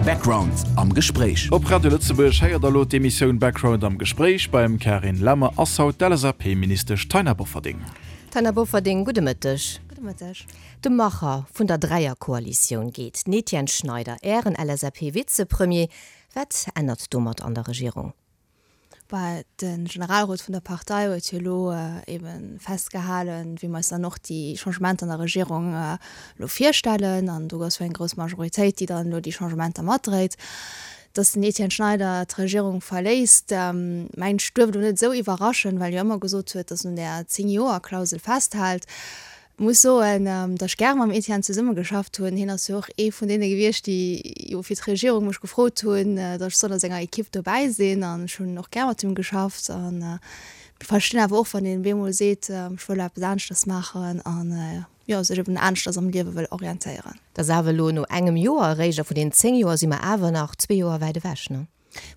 Background am Gespréich. Op Radio Lëtzebuerg héiert der elo d'Emissioun Background am Gespréich. Beim Carine Lemmer ass haut d'LSAP-Ministesch Taina Bofferding. Taina Bofferding, gudde Mëtteg. Gudde Mëtteg. De Macher vun der Dräierkoalitioun geet, den Etienne Schneider, Ären LSAP-Vizepremier. Wat ännert domat an der Regierung? Bah, de Generalrot vun der Partei huet jo elo ebe festgehalen, wéi mer eis dann och déi Changementer an der Regierung elo virstellen. An do ass jo eng grouss Majoritéit, déi dann elo déi Changementer matdréit. Datt den Etienne Schneider d'Regierung verléisst, mengen ech, duerf elo net esou iwwerraschen, well e jo ëmmer gesot huet, datt en un där Zéng-Joer-Klausel festhält. Muss soen, datt ech gäre mam Etienne zesummegeschafft hunn. Hien ass jo och ee vun deene gewiescht, déi jo fir d'Regierung mech gefrot hunn, datt ech soll a senger Ekipp dobäi sinn. An ech hunn och gär mat him geschafft. An verstinn awer och, wann een bemol seet, ech wëll eppes aneschters maachen an jo sech eben aneschters am Liewe wëll orientéieren. Dat ass awer elo no engem Joer eréischt, a vun den 10 Joer si mer awer nach zwee Joer wäit ewech, ne?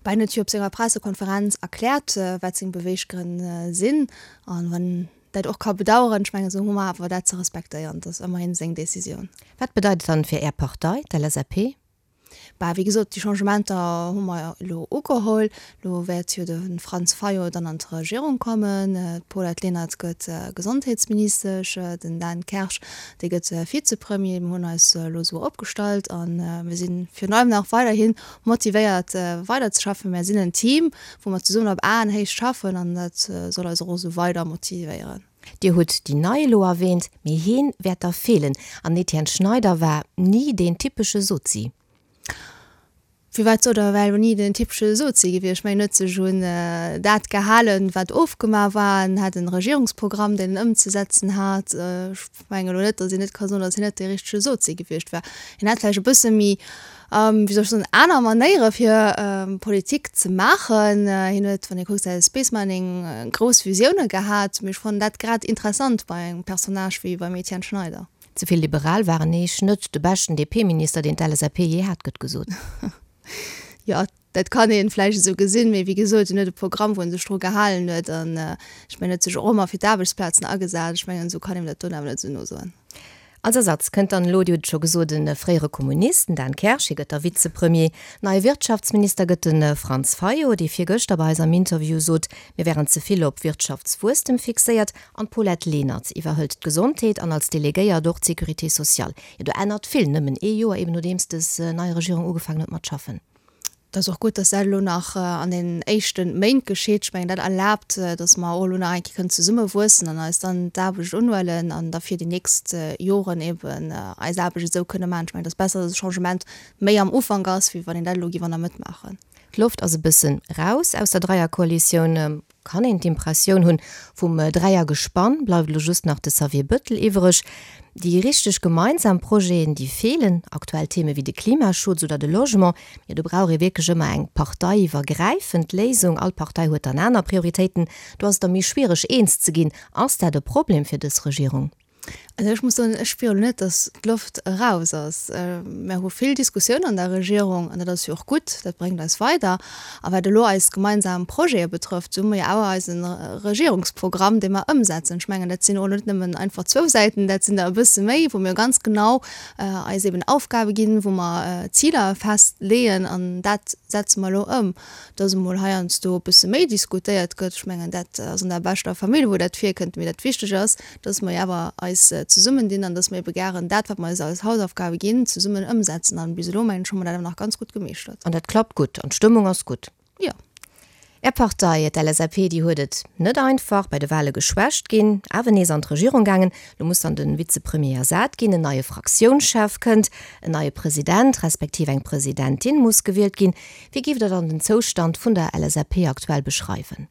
Bah, hien huet jo op senger Pressekonferenz erkläert, wat seng Beweeggrënn sinn. An wann dat och ka bedaueren, ech mengen, esou hu mer awer dat ze respektéieren. Dat ass ëmmerhin seng Decisioun. Wat bedeit et dann fir Är Partei, d'LSAP? Bah, wéi gesot, déi Changementer hu mer elo ugeholl. Elo wäert jo de Franz Fayot dann an d'Regierung kommen, d'Paulette Lenert gëtt Gesondheetsministesch, den Dan Kersch, dee gëtt Vizepremier. Mir hunn eis elo esou opgestallt a mir si virun allem nach weiderhi motivéiert weiderzeschaffen. Mär sinn en Team, wou mer zesummen op Aenhéicht schaffen an dat soll eis och esou weider motivéieren. Dir hutt déi Nei elo erwähnt, mee heen wäert der feelen. An Etienne Schneider war ni deen typesche Sozi. Firwat sot der, war elo ni den typesche Sozi gewiescht? Ech mengen, en huet sech un dat gehalen, wat ofgemaach war. En hat en Regierungsprogramm, deen en ëmzesetzen hat. Ech mengen elo net, datt een net ka soen, datt hien net dee richtege Sozi gewiescht war. Hien hat vläicht e bësse méi wéi soll ech soen, aner Manéiere fir Politik ze maachen. Hien huet, wann ee kuckt, säi Space Mining, grouss Visioune gehat. Mee ech fannen dat grad interessant bei engem Personnage wéi beim Etienne Schneider. Ze vill liberal war en eech net. De beschten DP-Minister, deen d'LSAP jee hat, gëtt gesot. Jo, dat kann ee vläicht esou gesinn. Mee wéi gesot, hien huet e Programm, wou en sech dru gehalen huet. An ech mengen, en huet sech och ëmmer fir d'Aarbechtsplazen agesat. Ech mengen, esou kann een dat do awer net esou nosoen. Als Ersatz kënnt dann elo, Dir hutt et scho gesot, e fréiere Kommunist, den Dan Kersch, hie gëtt da Vizepremier. Neie Wirtschaftsminister gëtt de Franz Fayot, dee virgëschter bei eis am Interview sot, mir wären ze vill op Wirtschaftswuesstem fixéiert. An d'Paulette Lenert iwwerhëlt d'Gesondheet an als Delegéiert och d'Sécurité sociale. Jo, do ännert vill, nëmmen ee Joer eben nodeems dës nei Regierung ugefaangen huet mat schaffen. Et ass och gutt, dass dat elo nach an den éischte Méint geschitt. Ech mengen, dat erlaabt, dass mer och elo nach eng Kéier kënnen zesumme wuessen an eis dann d'Aarbecht unhuelen an da fir déi nächst Joren eben eis Aarbecht esou kënne maachen. Ech mengen, et ass besser, dass e Changement méi am Ufank ass, wéi wann een dat elo géif an der Mëtt maachen. D'Loft ass e bëssen raus aus der Dreierkoalitioun. Kann een d'Impressioun hunn, vum Dräiergespann bleift elo just nach de Xavier Bëttel iwwereg. Déi richteg gemeinsam Projeten, déi feelen. Aktuell Theme wéi de Klimaschutz oder de Logement, jo do brauch ee wierklech ëmmer eng parteiiwwergräifend Léisung. All Partei huet dann aner Prioritéiten. Do ass et da méi schwiereg eens ze ginn. Ass dat e Problem fir dës Regierung? Also ech muss soen, ech spieren elo net, datt d'Loft eraus ass. Mär hu vill Diskussioun an der Regierung an dat ass jo och gutt, dat bréngt eis weider. A wat elo eis gemeinsam Projete betrëfft, esou hu mer jo awer eise Regierungsprogramm, dee mer ëmsetzen. Ech mengen, dat sinn och net nëmmen einfach zwou Säiten, dat sinn der e bësse méi, wou mir ganz genau eis eben Aufgabe ginn, wou mer Ziler festleeën an dat setze mer elo ëm. Dass emol heiansdo e bësse méi diskutéiert gëtt, ech mengen, dat ass an der beschter Famill, wou dat virkënnt. Mee dat Wichteg ass, dass mer jo awer eis zesummendinn an dass mer ebe gären dat, wat mer eis als Hausaufgabe ginn, zesummen ëmsetzen. An bis elo, mengen ech, hu mer dat awer nach ganz gutt gemeeschtert. An dat klappt gutt an d'Stëmmung ass gutt. Jo. Är Partei, d'LSAP, déi huet et net einfach, bei de Wahle geschwächt ginn, awer nees an d'Regierung gaangen. Lo muss dann de Vizepremier ersat ginn, en neie Fraktiounschef kënnt, en neie President respektiv eng Presidentin muss gewielt ginn. Wéi géift Der dann den Zoustand vun der LSAP aktuell beschreiwen?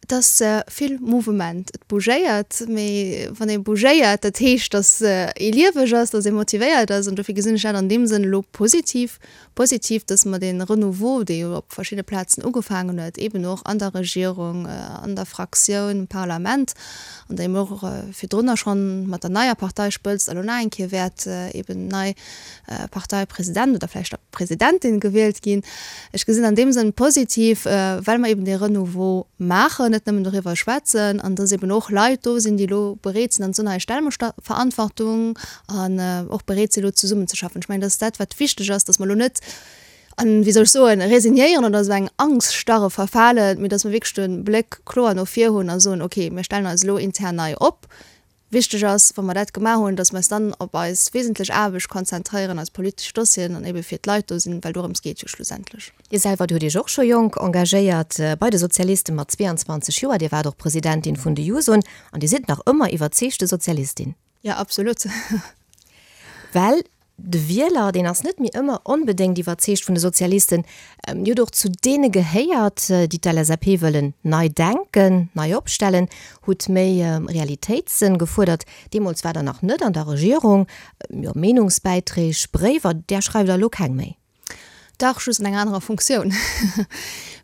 Et ass vill Mouvement. Et bougéiert, mee wann ee bougéiert, dat heescht, datt ee lieweg ass, datt ee motivéiert ass. An dofir gesinn ech dat an deem Sënn elo positiv. Positiv, datt mer dee Renouveau, dee jo op verschidde Plazen ugefaangen huet, eeben och an der Regierung, an der Fraktioun, im Parlament, an der eben och virdrunner schonn mat der neier Parteispëtzt a lo nach eng Kéier wäert eeben nei Parteipresident oder vläicht da Presidentin gewielt ginn. Ech gesinn an deem Sënn positiv, well mer eben dee Renouveau maachen, net nëmmen doriwwer schwätzen, an dass eben och Leit do sinn, déi elo bereet sinn an ze soen, hei stelle mer Verantwortung an och bereet sinn elo zesummenzeschaffen. Ech mengen, dat ass dat, wat wichteg ass, dass mer elo net. An, wéi soll ech soen, resignéieren oder esou eng Angststarre verfalen, mee dass mer wierklech de Bléck kloer no vir hunn a soen, okay, mir stellen eis elo intern nei op. Wichteg ass, wa mer dat gemaach hunn, dass mer eis dann op eis wesentlech Aarbecht konzentréieren, eis politesch Dossieren an ebe fir d'Leit do sinn, well dorëms geet jo schlussendlech. Dir selwer, Dir hutt Iech och scho jonk engagéiert bei de Sozialisten, mat 22 Joer. Dir waart och Presidentin vun de Jusoen an Dir sidd nach ëmmer iwwerzeegte Sozialistin. Jo, absolut. Well de Wieler, deen ass net méi ëmmer onbedéngt iwwerzeegt vun de Sozialisten. Dir hutt och zu deene gehéiert, déi d'LSAP wëllen nei denken, nei opstellen, hutt méi Realitéitssënn gefuerdert. Deemools waart Der nach net an der Regierung. Jo, Meenungsbäiträg, Bréiwer, där schreift Der elo keng méi. Dach, just an enger anerer Funktioun.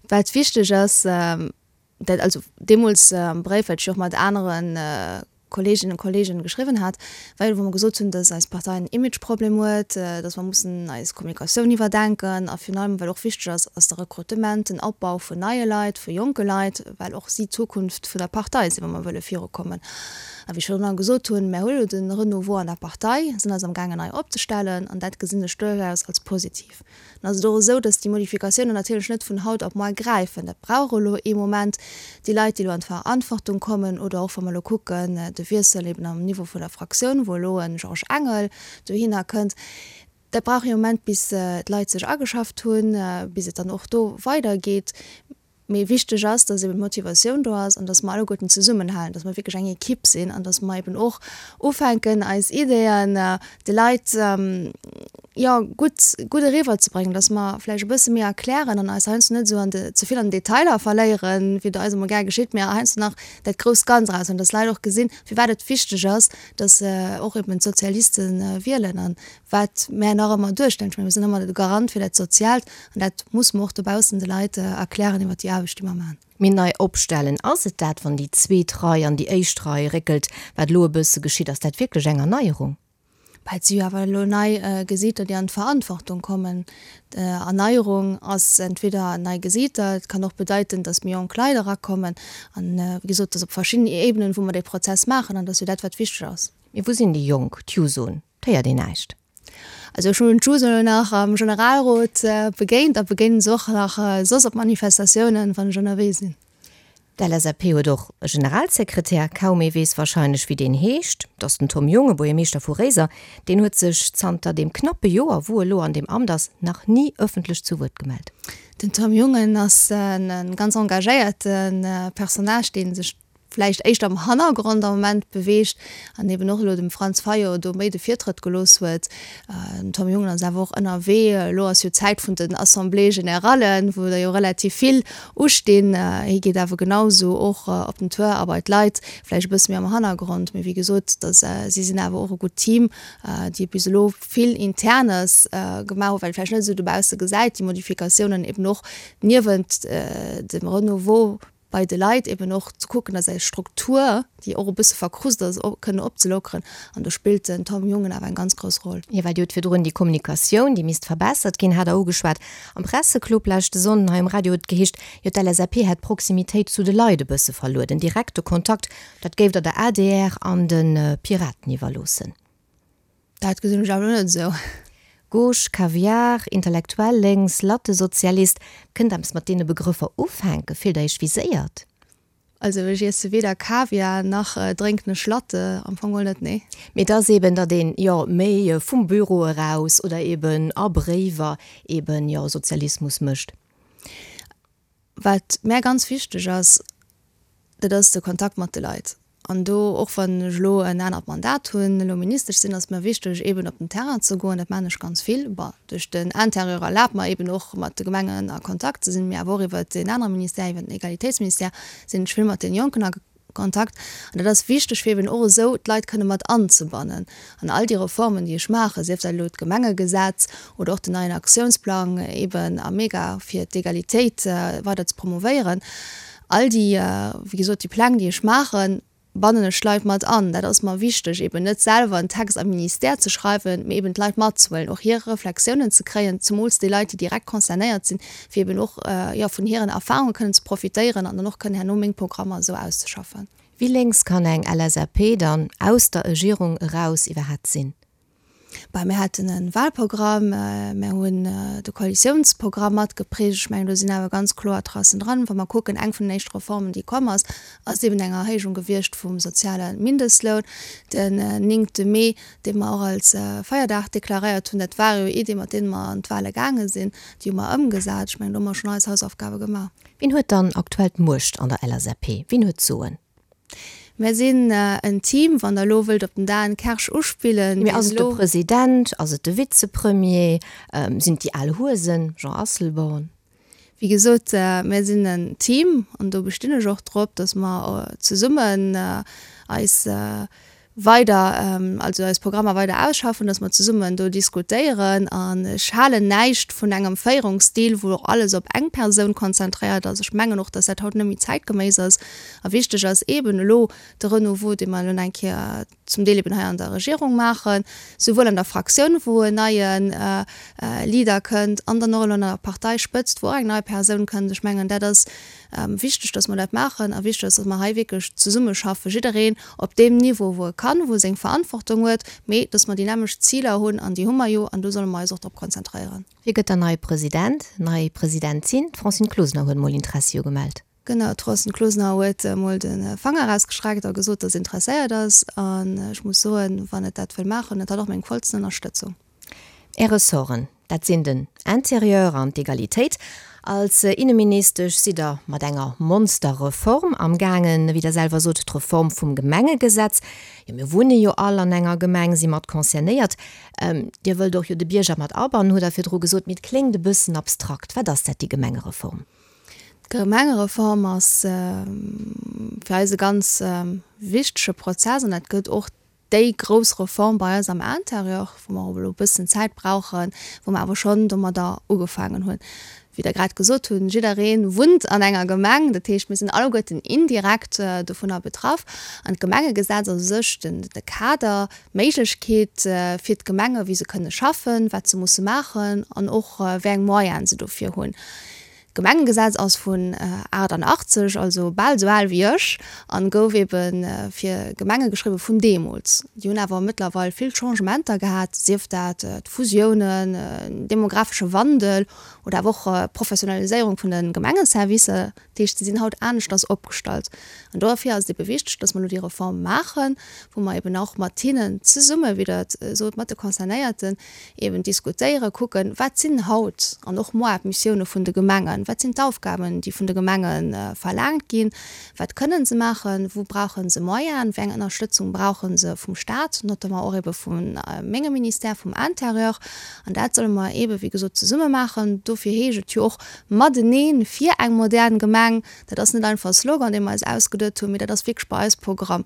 Wat wichteg ass, dat also deemools am Bréif, wat ech jo och mat anere Kolleeginnen an Kolleegen geschriwwen hat, war jo, wou mer gesot hunn, dass eis Partei en Imageproblem huet, dass mer mussen eis Kommunikatioun iwwerdenken a virun allem, wat och wichteg ass, ass de Rekrutement, den Opbau vun neie Leit, vu jonke Leit, well och si d'Zukunft vun der Partei sinn, wa mer wëlle virukommen. A wéi ech virdrun gesot hunn, mär hu elo de Renouveau an der Partei, sinn eis amgaangen nei opzestellen an dat gesinn ech duerchaus als positiv. Dann ass et och esou, dass déi Modifikatiounen natierlech net vun haut op moar gräifen. Dat brauch elo ee Moment. Déi Leit, déi elo an d'Verantwortung kommen, oder och wa mer elo kucken, de Wiessel eben am Niveau vun der Fraktioun, wou elo e Georges Engel dohinner kënnt, dat brauch ee Moment, bis d'Leit sech ageschafft hunn, bis et dann och do weidergeet. Mee wichteg ass, dass eben d'Motivatioun do ass an dass mer alleguerten zesummenhalen, dass mer wierklech eng Ekipp sinn an dass mer eben och ufänken, eis Ideeën de Leit, jo, gutt, gutt eriwwerzebréngen, dass mer vläicht e bësse méi erklären an eis heiansdo net esou an de, ze vill an den Detailer verléieren, wéi et eis emol gär geschitt, mee heiansdo nach dat grousst Ganz eraushuelen, dass d'Leit och gesinn, firwat et wichteg ass, dass och eben d'Sozialiste wielen an wat mär nach ëmmer duerstellen. Ech mengen, mir sinn ëmmer de Garant fir dat Soziaalt an dat muss mer och dobaussen de Leit erklären iwwert déi Aarbecht, déi mer maachen. Mee nei opstellen, ass et dat, wann déi zweet Rei an déi éischt Rei réckelt, wat elo e bësse geschitt, ass dat wierklech eng Erneierung? Bah, et si jo awer elo nei Gesiiter, déi an d'Verantwortung kommen. Erneierung ass entweder nei Gesiiter, et kann och bedeiten, datt méi jonk Leit erakommen. An, wéi gesot, et ass op verschiddenen Ebenen, wou mer dee Prozess maachen an dat ass jo dat, wat wichteg ass. Mee wou sinn déi Jonk, d'Jusoen? 't héiert een näischt. Also ech hunn d'Juso elo nach am Generalrot begéint a begéinen se och nach soss op Manifestatiounen, wann ech ënnerwee sinn. D'LSAP huet och e Generalsekretär, kaum ee weess warscheinlech wéi deen heescht. Et ass den Tom Junge, Buergermeeschter vu Réiser. Deen huet sech zanter deem knappe Joer, wou e lo an deem Amt ass, nach ni ëffentlech zu Wuert gemellt. Den Tom Jungen ass e ganz engagéierte Personnage, dee sech vläicht éischter am Hannergrond am Moment beweegt an eben och elo dem Franz Fayot do méi de Virtrëtt gelooss huet. Den Tom Jungen ass awer och ënnerwee. Elo ass jo d'Zäit vun den Assemblées générallen, wou der jo relativ vill ustinn. Hie geet awer genau esou och op den Tour a bei d'Leit, vläicht e bësse méi am Hannergrond. Mee wéi gesot, dass si sinn awer och e gutt Team, déi bis elo vill Internes gemaach hunn, wat ee vläicht net esou dobausse gesäit, déi Modifikatiounen eben och niewent dem Renouveau bei de Leit eben och ze kucken, dass eis Struktur, déi och e bësse verkrust ass, kënnen opzelockeren. An do spillt den Tom Jungen awer eng ganz grouss Roll. Jo, well Dir hutt virdrun déi Kommunikatioun, déi misst verbessert ginn, hat Der ugeschwat. Am Presseclub leschte Sonnden hei um Radio huet et geheescht, jo d'LSAP hätt d'Proximitéit zu de Leit e bësse verluer, den direkte Kontakt, dat géif Der der adr an de Piraten iwwerloossen. Dat gesinn ech awer net esou. Gauche, Kaviar, Intellektuell lénks, Lattesozialist, kënnt eppes mat deene Begrëffer ufänken? Fillt der iech viséiert? Also ech iesse weder Kaviar nach drénken ech Latte, am Fong geholl net, nee. Mee et ass eben, datt een, jo, méi vum Büro eraus oder eben a Bréiwer eben, jo, Sozialismus mécht. Wat mär ganz wichteg ass, dat ass de Kontakt mat de Leit. An do, och wann ech elo en anert Mandat hunn, elo Ministesch sinn, ass et mer wichteg, eeben op den Terrain ze goen. Dat maachen ech ganz vill. Bon, duerch den Interieur erlaabt mer eeben och, mat de Gemengen a Kontakt ze sinn, mee awer och iwwert deen anere Ministère, iwwert den Egalitéitsministère, sinn ech vill mat den Jonken a Kontakt. An dat ass wichteg, fir eben och esou d'Leit kënne mat anzebannen an all déi Reformen, déi ech maachen, sief dat elo d'Gemengegesetz oder och den neien Aktiounsplang eben am Mega fir d'Egalitéit weider ze promovéieren. All déi, wéi gesot, déi Pläng, déi ech maachen, bannen ech d'Leit mat an. Dat ass mer wichteg, eben net selwer en Text am Ministère ze schreiwen, mee eben d'Leit matzehuelen, och hir Reflexiounen ze kréien, zemools déi Leit, déi direkt concernéiert sinn, fir eben och, jo, vun hiren Erfahrunge kënnen ze profitéieren an dann och kënnen herno meng Programmer esou auszeschaffen. Wéi lénks kann eng LSAP dann aus der Egierung eraus iwwerhat sinn? Bah, mir haten e Wahlprogramm, mir hunn. de Koalitiounsprogramm matgeprägt. Ech mengen, do sinn awer ganz kloer Tracen dran. Wa mer kucken, eng vun den éischte Reformen, déi komm ass, ass eben eng Erhéijung gewiescht vum soziale Mindestloun den néngte Mee, dee mer och als Feierdag deklaréiert hunn. Dat ware jo Iddie mat deene mer an d'Wahle gaange sinn. Déi hu mer ëmgesat. Ech mengen, do hu mer schonn eis Hausaufgabe gemaach. Wien huet dann aktuell d'Muecht an der LSAP? Wien huet d'Soen? Mär sinn en Team, wann Der elo wëllt op den Dan Kersch uspillen, Mee ass et de President, ass et de Vizepremier, sinn et déi al Huesen, Jean Asselborn? Wéi gesot, mär sinn en Team an do bestinn ech och drop, datt mer zesummen eis weider, also eis Programmer weider ausschaffen, datt mer zesummen do diskutéieren. An ech halen näischt vun engem Féierungsstil, wou alles op eng Persoun konzentréiert ass. Ech mengen och, datt dat haut net méi zäitgeméiss ass. A wichteg ass eeben elo de Renouveau, dee mer elo nach eng Kéier zum Deel eben hei an der Regierung maachen, souwuel an der Fraktioun, wou en neie Leader kënnt, an dann och elo an der Parteispëtzt, wou och eng nei Persoun kënnt. Ech mengen, dat ass wichteg, dass mer dat maachen, a wichteg ass, dass mer hei wierklech zesummeschaffen, jiddereen op deem Niveau, wou e kann, wou e seng Verantwortung huet, mee dass mer déi nämmlecht Ziler hunn, an déi hu mer jo, an do solle mer eis och drop konzentréieren. Wie gëtt dann neie President, nei Presidentin? D'Francine Closener huet mol Interessi ugemellt. Genau, d'Francine Closener huet emol de Fanger erausgestreckt a gesot, dass se interesséiert ass. An ech muss soen, wann et dat wëll maachen, huet hatt och meng vollsten Ënnerstëtzung. Är Ressorten, dat sinn den Interieur an d'Egalitéit. Als Inneministesch sidd Der mat enger Monsterreform am gaangen, wéi Der selwer sot, d'Reform vum Gemengegesetz. Jo, mir wunne jo all an enger Gemeng, si mat concernéiert. Dir wëllt och jo de Bierger mat abannen, hutt Der virdru gesot. Mee et kléngt e bëssen abstrakt. Wat ass dat, déi Gemengereform? D'Gemengereform ass fir eis e ganz wichtege Prozess an dat gëtt och déi grouss Reform bei eis am Intérieur, wou mer och elo e bëssen Zäit brauchen, wou mer awer schonn domadder ugefaangen hunn. Wéi Der grad gesot hunn, jidderee wunnt an enger Gemeng, dat heescht, mir sinn alleguerten indirekt dovunner betraff. An d'Gemengegesetz ass u sech de Kader, d'Méiglechkeet fir d'Gemenge wéi se kënne schaffen, wat se musse maachen an och wéi eng Moyene se dofir hunn. D'Gemengegesetz ass vun 88, also bal esou al wéi ech, an gouf ebe fir Gemenge geschriwwe vun deemools. Déi hunn awer mëttlerweil vill Changementer gehat, sief dat d'Fusiounen, den demographesche Wandel oder awer och d'Professionaliséierung vun de Gemengeservicer. Dat heescht, se sinn haut aneschters opgestallt. An dofir ass et ebe wichteg, dass mer elo déi Reform maachen, wou mer eben och mat hinnen zesumme, wéi Der et sot, mat de Concernéierten, eben diskutéieren, kucken, wat sinn haut an och moar d'Missioune vun de Gemengen, wat sinn d'Aufgaben, déi vun de Gemenge verlaangt ginn, wat kënnen se maachen, wou brauche se Moyenen, wéi eng Ënnerstëtzung brauche se vum Stat, notamment och ebe vu mengem Ministère, vum Intérieur. An dat solle mer ebe wéi gesot zesumme maachen. Dofir heescht et jo och matenee fir eng modern Gemeng. Dat ass net einfach e Slogan, dee mer eis ausgeduet hunn, mee dat ass wierklech bei eis Programm.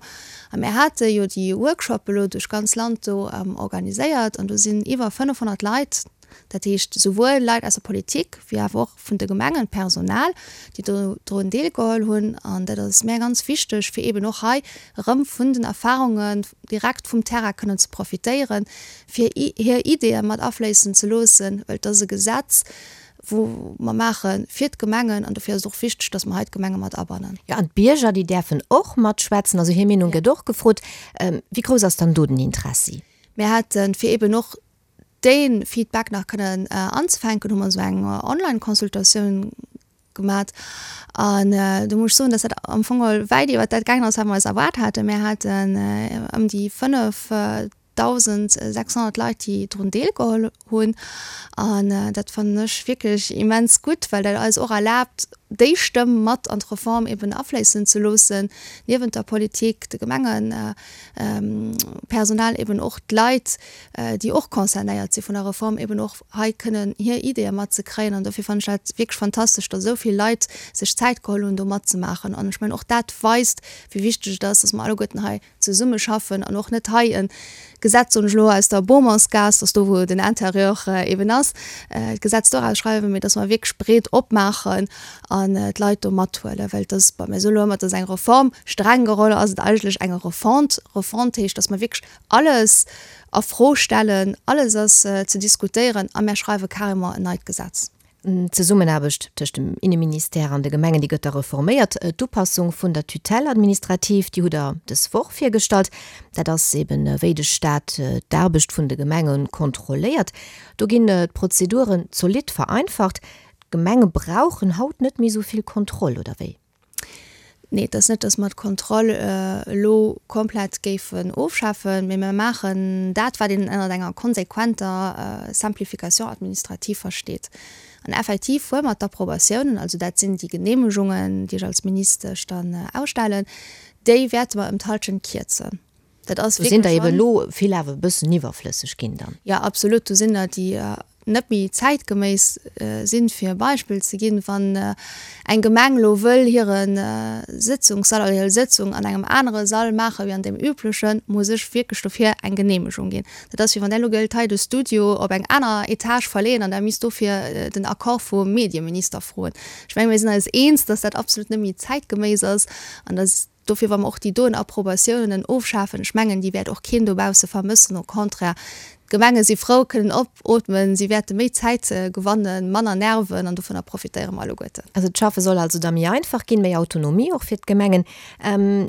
A mir hate jo déi Workshoppe elo duerch d'ganz Land do organiséiert an do sinn iwwer 500 Leit, dat heescht souwuel Leit aus der Politik wéi awer och vun de Gemengen, d'Personal, déi do drun deelgeholl hunn. An dat ass mär ganz wichteg, fir eeben och hei erëm vun den Erfarungen direkt vum Terrain kënnen ze profitéieren, fir hir Ideeë mat afléissen ze loossen, well et ass e Gesetz, wou mer maache fir d'Gemengen, an dofir ass et och wichteg, dass mer hei d'Gemenge mat abannen. Jo, an d'Bierger, déi däerfen och matschwätzen, also hir Meenung gëtt och gefrot. Wéi grouss ass dann do den Interessi? Mir haten, fir eeben och dee Feedback nach kënnen anzefänken, hu mer esou eng Online-Consultatioun gemat. An do muss ech soen, dass dat am Fong geholl wäit iwwert dat gaangen ass, wat mer eis erwaart haten. Mir haten ëm déi 5 1.600 Leit, déi drun deelgeholl hunn. An dat fannen ech wierklech immens gutt, well dat eis och erlaabt, déi Stëmm mat an d'Reform eben afléissen ze loossen, niewent der Politik, de Gemengepersonal, eben och d'Leit, déi och concernéiert si vun der Reform, eben och hei kënnen hir Ideeë matzekréien. An dofir fannen ech dat wierklech fantastesch, datt esou vill Leit sech Zäit geholl hunn, do matzemaachen. An ech mengen, och dat weist, wéi wichteg et ass, datt mer alleguerten hei zesummeschaffen an och net hei e Gesetz, soen ech elo, aus der Beaumontsgaass, dass do wou den Intérieur eben ass, d'Gesetz do erausschreiwen, mee dass mer wierklech breet opmaachen an d'Leit do mathuelen, well et ass, bon, mir soen elo ëmmer, et ass eng Reform, streng geholl ass et eigentlech eng Refonte. Refonte heescht, dass mer wierklech alles a Fro stellen, alles ass ze diskutéieren a mär schreiwe carrément en neit Gesetz. D'Zesummenaarbecht tëscht dem Inneministère an de Gemengen, déi gëtt da reforméiert. D'Upassung vun der Tutelle administrative, déi hutt Der dës Woch virgestallt. Dat ass eben, wéi de Staat d'Aarbecht vun de Gemenge kontrolléiert. Do ginn d'Prozeduren zolidd vereinfacht. D'Gemenge brauchen haut net méi esou vill Kontroll, oder wéi? Nee, et ass net, datt mer d'Kontroll elo komplett géifen ofschafen, mee mer maachen dat, wat een ënnert enger konsequenter Simplification administrative versteet. An effektiv huele mer d'Approbatiounen, also dat sinn déi Genehmegungen, déi ech als Ministesch dann ausstellen, déi wäerte mer ëm d'Hallschent kierzen. Dat ass Do sinn der eben elo vill awer e bëssen iwwerflësseg ginn dann. Jo, absolut. Do sinn der, déi net méi zäitgeméiss sinn. Fir e Beispill ze ginn, Wann eng Gemeng elo wëll hire Sëtzungssall oder hir Sëtzung an engem anere Sall maache wéi an deem üblechen, muss ech wierklech dofir eng Geneemegung ginn. Dat ass wéi wann Der elo géilt hei de Studio op eng aner Etage verleeën an Der misst dofir den Accord vum Medieminister froen. Ech menge mir sinn eis eens, dass dat absolut net méi zäitgeméiss ass an dass Dofir, wa mer och déi doen Approbatiounen ofschafen, ech mengen, déi wäert och keen dobausse vermëssen, au contraire, d'Gemenge si frou, kënnen opootmen, si wäerte méi Zäit gewannen, manner Nerven, an dovunner profitéiere mer alleguerten. Also d'Schaffe soll also da méi einfach ginn, méi Autonomie och fir d'Gemengen.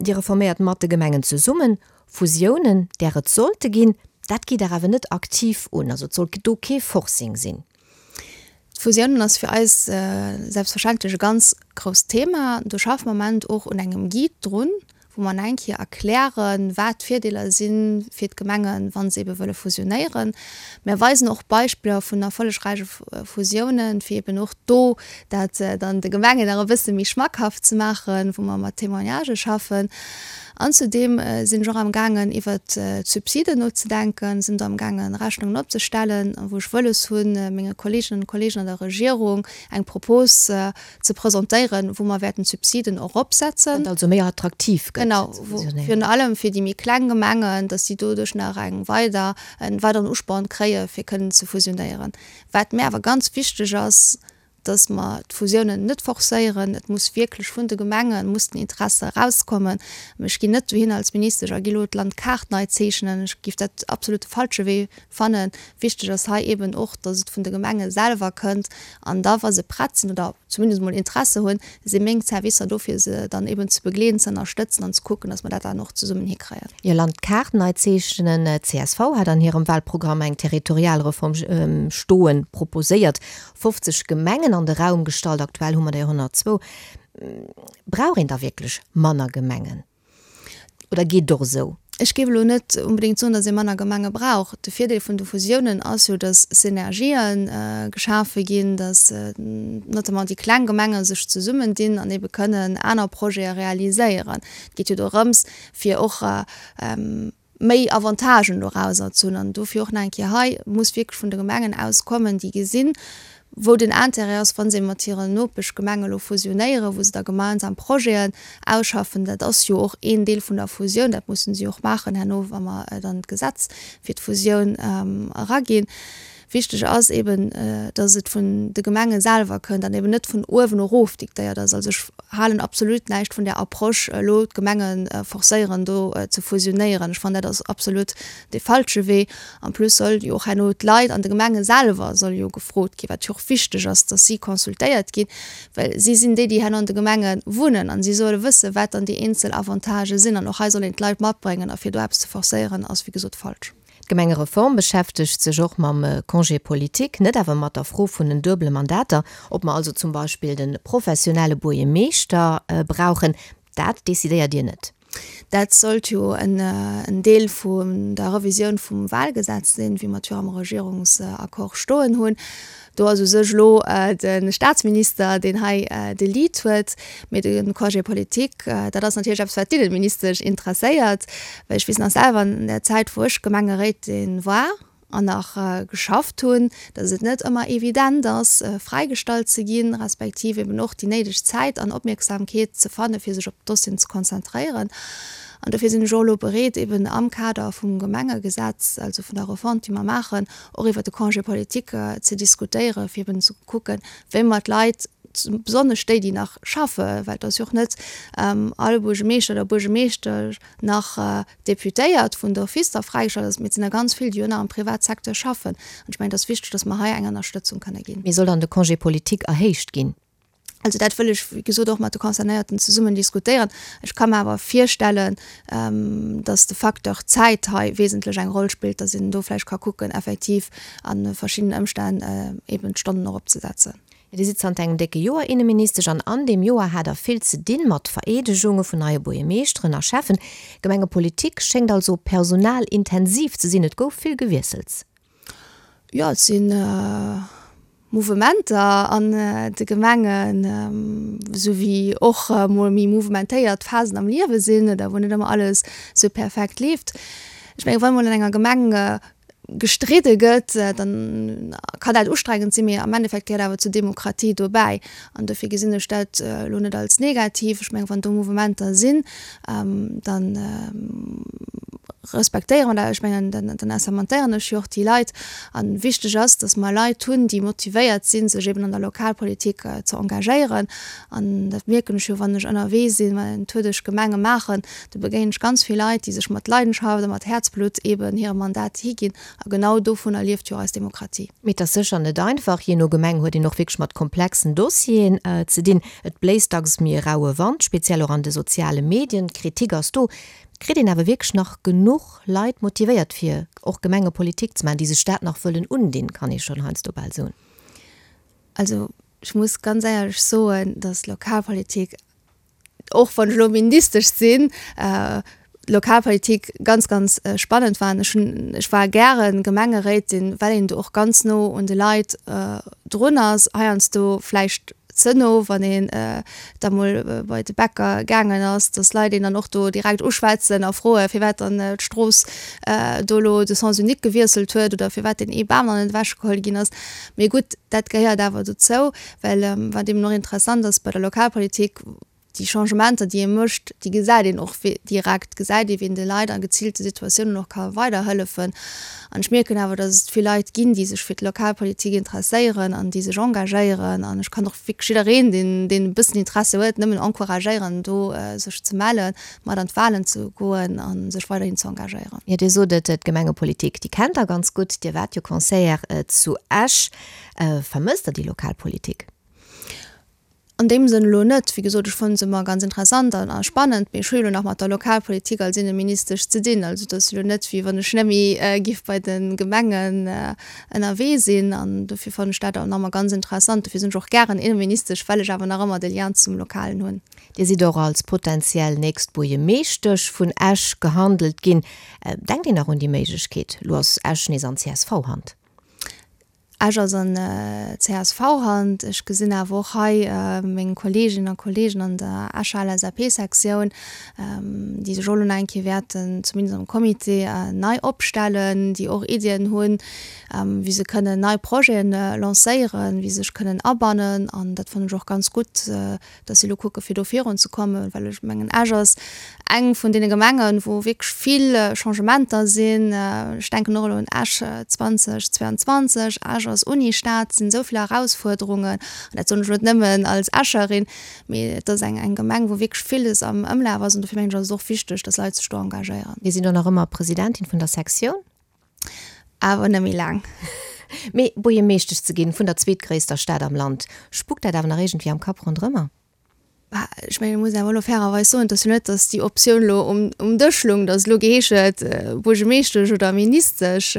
Dir reforméiert mat de Gemengen zesummen. Fusiounen, där et sollte ginn, dat gitt Der awer net aktiv un. Also et soll do kee Forcing sinn. D'Fusiounen ass fir eis selbstverständlech e ganz grousst Thema. Do schaffe mer am Moment och un engem Guide drun, wou mer eng Kéier erklären, wat d'Virdeeler si fir d'Gemengen, wa se ebe wëlle fusionéieren. Mer weisen och Beispiller vun erfollegräiche Fusiounen, fir eben och do dat dann de Gemengen nach e bësse méi schmackhaft ze maachen, wou mer mat Témoignagë schaffen. An zudeem sinn ech och am gaangen iwwert d'Subsiden nozedenken, sinn do am gaangen Rechnungen opzestellen, wou ech wëlles hunn menge Kolleeginnen an Kolleegen an der Regierung eng Propos ze presentéieren, wou mer wäerten d'Subsiden eropsetzen. Dat also méi attraktiv gëtt. Genau, wou virun allem fir déi méi kleng Gemengen, datt si doduerch nach eng weider, en weideren Usporn kréie fir kënnen ze fusionéieren. Wat mär awer ganz wichteg ass, dass mer d'Fusiounen net forcéieren. Et muss wierklech vun de Gemenge muss den Interesse erauskommen. Mä ech ginn net dohin als Ministesch a gi elo d'Landkaart nei zeechnen. Ech géif dat absolut de falsche Wee fannen. Wichteg ass hei eeben och, dass et vun de Gemenge selwer kënnt. An da wa se prett sinn oder zumindest emol Interesse hunn, si meng Servicer do fir se dann eeben ze begleeden, ze ënnerstëtzen an ze kucken, dass mer dat dann och zesummen hikréien. Jo, Landkaart nei zeechnen. Csv hat an hirem Wahlprogramm eng Territorialreform stoen, proposéiert. 50 Gemengen an de Raum gestallt, aktuell hu mer der 102. Brauch een da wierklech manner Gemengen oder geet et och esou? Ech géif elo net onbedéngt soen, datt ee manner Gemenge brauch. De Virdeel vun de Fusiounen ass jo, datt Synergië geschafe ginn, datt notamment déi kleng Gemenge sech zesummendinn an ebe kënnen aner Projete realiséieren. Et geet jo dorëms, fir och méi Avantagen dorauser ze hunn. An dofir och nach eng Kéier hei, muss wierklech vun de Gemengen aus kommen, déi gesinn, wou den Intérêt ass, wa se mat hiren Nopeschgemenge elo fusionéieren, wou se da gemeinsam Projeten ausschaffen. Dat ass jo och een Deel vun der Fusioun, dat mussen si och maachen herno, wa mer dann d'Gesetz fir d'Fusioun eraginn. Wichteg ass eben, dass et vun de Gemenge selwer kënnt an eben net vun uewen erof diktéiert ass. Also ech halen absolut näischt vun där Approche, elo d'Gemenge forcéieren, do ze fusionéieren. Ech fannen, dat ass absolut dee falsche Wee. En plus soll jo och herno d'Leit an de Gemenge selwer solle jo gefrot ginn, wat jo och wichteg ass, dass si consultéiert ginn, well si sinn déi, déi herno an de Gemenge wunnen an si solle wëssen, wat dann déi eenzel Avantagë sinn. An och hei soll een d'Leit matbréngen a fir do eppes ze forcéieren, ass wéi gesot falsch. D'Gemengereform beschäftegt sech och mam Congé politique, net awer mat der Fro vun den duebele Mandater, ob mer also zum Beispill de professionelle Buergermeeschter brauchen, dat decidéiert Dir net. Dat sollt jo en Deel vun der Revisioun vum Wahlgesetz sinn, wéi mer et jo am Regierungsaccord stoen hunn. Do ass u sech elo de Staatsminister, deen hei de Lead huet. Mee de Congé politique, dat ass natierlech eppes, wat d'Inneministesch interesséiert. Well ech weess nach selwer, an där Zäit, wou ech Gemengeréitin war an nach geschafft hunn, datt et net ëmmer evident ass, fräigestallt ze ginn, respektiv eben och déi néideg Zäit an Opmierksamkeet ze fannen, fir sech op d'Dossieren ze konzentréieren. An dofir sinn ech och elo bereet, eben am Kader vum Gemengegesetz, also vun der Refonte, déi mer maachen, och iwwert de Congé politique ze diskutéieren, fir eben ze kucken, wéi mer d'Leit. Besonnesch déi, déi nach schaffen, well et ass jo och net all Buergemeeschter oder Buergemeeschtesch nach Deputéiert vun d'office da fräigeschalt ass, mee et sinn der ganz vill, déi jo nach am Privatsecteur schaffen. An ech mengen, et ass wichteg, dass mer hei eng Ënnerstëtzung kënne ginn. Mee soll dann de Congé politique erhéicht ginn? Also dat wëll ech, wéi gesot, och mat de Concernéierten zesummen diskutéieren. Ech ka mer awer virstellen, dass de Facteur Zäit hei wesentlech eng Roll spillt, dass een do vläicht ka kucken, effektiv a verschiddenen Ëmstänn eben d'Stonnen eropzesetzen. Dir sidd zanter engem décke Joer Inneministesch an an deem Joer hat Der vill ze dinn mat Vereedegunge vun neie Buergermeeschteren a Schäffen. Gemengepolitik schéngt also personalintensiv ze sinn. Et gouf vill Gewiessels. Jo, et si Mouvementer an de Gemengen, esou wéi och mol méi mouvementéiert Phasen am Liewe sinn oder wou net ëmmer alles esou perfekt leeft. Ech mengen, wa mol an enger Gemeng gestridde gëtt, dann kann dat ustrengend sinn, mee am Endeffekt gehéiert awer zur Demokratie dobäi. An dofir gesinn ech dat elo net als negativ. Ech mengen, wann do Mouvementer sinn, da respektéiere mer dat. Ech mengen, dann assermentéieren ech jo och déi Leit. A wichteg ass, datt mer Leit hunn, déi motivéiert sinn, sech eben an der Lokalpolitik ze engagéieren. An dat mierken ech jo, wann ech ënnerwee sinn, wann en Tour duerch d'Gemenge maachen, do begéinen ech ganz vill Leit, déi sech mat Leidenschaft a mat Häerzblutt eeben hirem Mandat higinn. A genau dovunner lieft jo och eis Demokratie. Mee et ass sécher net einfach. Jee no Gemeng huet een och wierklech mat komplexen Dossieren ze dinn. Et bléist dacks méi e raue Wand, speziell och an de soziale Medien. D'Kritik ass do. Kritt een awer wierklech nach genuch Leit motivéiert, fir och Gemengepolitik ze maachen, déi sech dat nach wëllen undinn, kann ee schonn heiansdo bal soen. Also ech muss ganz éierlech soen, datt Lokalpolitik, och wann ech elo Ministesch sinn, Lokalpolitik ganz, ganz spannend war. Ech hunn, ech war gäre Gemengeréitin, well een do och ganz no un de Leit drun ass, heiansdo vläicht ze no, wann een da mol bei de Bäcker gaangen ass, datt Leit een dann och do direkt uschwätzen a froen, firwat dann d'Strooss do elo de Sens unique gewiesselt huet oder firwat deen ee Bam nach net ewechgeholl ginn ass. Mee gutt, dat gehéiert awer dozou, well wat eben och interessant ass bei der Lokalpolitik, déi Changementer, déi ee mécht, déi gesäit een och direkt, gesäit ee wéi een de Leit a geziilte Situatiounen och ka weiderhëllefen. An ech mierken awer, datt et vill Leit ginn, déi sech fir d'Lokalpolitik interesséieren an déi sech engagéieren. An ech kann och wierklech jiddereen, deen, deen e bëssen Interesse huet, nëmmen encouragéieren, do sech ze mellen, mat an d'Wahlen ze goen a sech weiderhin ze engagéieren. Jo, Dir sot et, d'Gemengepolitik, déi kennt Der ganz gutt. Dir waart jo Conseillère zu Esch. Vermësst Der déi Lokalpolitik? An deem Sënn elo net. Wéi gesot, ech fannen se ëmmer ganz interessant an a spannend, mee ech hu jo elo nach mat der Lokalpolitik als Inneministesch ze dinn. Also et ass jo elo net, wéi wann ech net méi giff bei de Gemengen ënnerwee sinn. An dofir fannen ech dat awer nach ëmmer ganz interessant. Dofir sinn ech och gären Inneministesch, well ech awer nach ëmmer de Lien zum Lokalen hunn. Dir sidd och als potentiell nächst Buergemeeschtesch vun Esch gehandelt ginn. Denkt een nach un déi Méiglechkeet? Elo ass Esch nees an CSV-Hand. Esch ass an CSV-Hand. Ech gesinn awer och hei meng Kolleeginnen a Kolleegen an der Escher LSAP-Sektioun, déi sech och elo nach eng Kéier wäerten, zumindest am Comité, nei opstellen, déi och Iddien hunn, wéi se kënnen nei Projeten lancéieren, wéi se sech kënnen abannen. An dat fannen ech och ganz gutt, dass si elo kucke fir do virun ze kommen, well ech mengen Esch ass eng vun deene Gemengen, wou wierklech vill Changementer sinn. Ech denken och elo un Esch 2022, Esch ass Unistad, et sinn esou vill Erausfuerderungen an dat soen ech elo net nëmmen als Escherin, mee et ass eng eng Gemeng, wou wierklech villes am Ëmlaf ass an dofir mengen ech ass et och wichteg, dass Leit sech do engagéieren. Mir sinn och nach ëmmer Presidentin vun der Sektioun. Awer net méi laang. Mee Buergermeeschtesch ze ginn vun der zweetgréisster Stad am Land, spukt dat awer nach iergendwéi am Kapp ronderëmmer? Bah, ech mengen, ech muss awer elo fairerweis soen, et ass jo net, datt déi Optioun elo um, um Dësch loung, datt elo geheescht huet, Buergermeeschtesch oder Ministesch.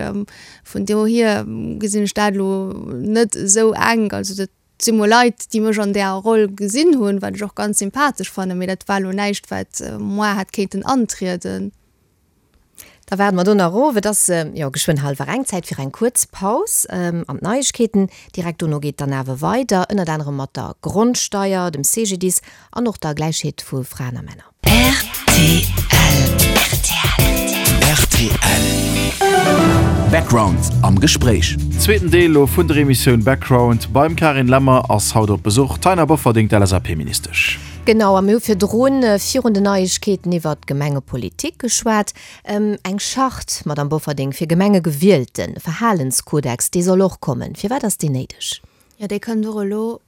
Vun dohier gesinn ech dat elo net esou enk. Also dat si mol Leit, déi mech an där Roll gesinn hunn, wat ech och ganz sympathesch fannen, mee dat war elo näischt, wat moi hätt kéinten antrieden. Da waarde mer do nach of. Et ass jo geschwënn hallwer eng, Zäit fir eng kuerz Paus an d'Neiegkeeten. Direkt dono geet dann awer weider, ënnert anerem mat der Grondsteier, dem CGDIS an och der Gläichheet vu Fraen a Männer. Rtl. Rtl. Background am Gespréich. Zweeten Deel elo vun der Emissioun Background. Beim Carine Lemmer ass haut op Besuch d'Taina Bofferding, d'LSAP-Ministesch. Genau, a mir hu virdrun, virun den Neiegkeeten, iwwert d'Gemengepolitik geschwat. Eng Charte, Madamm Bofferding, fir Gemengegewielten, e Verhalenskodex, dee soll och kommen. Firwat ass deen néideg? Jo, dee kënnt och elo.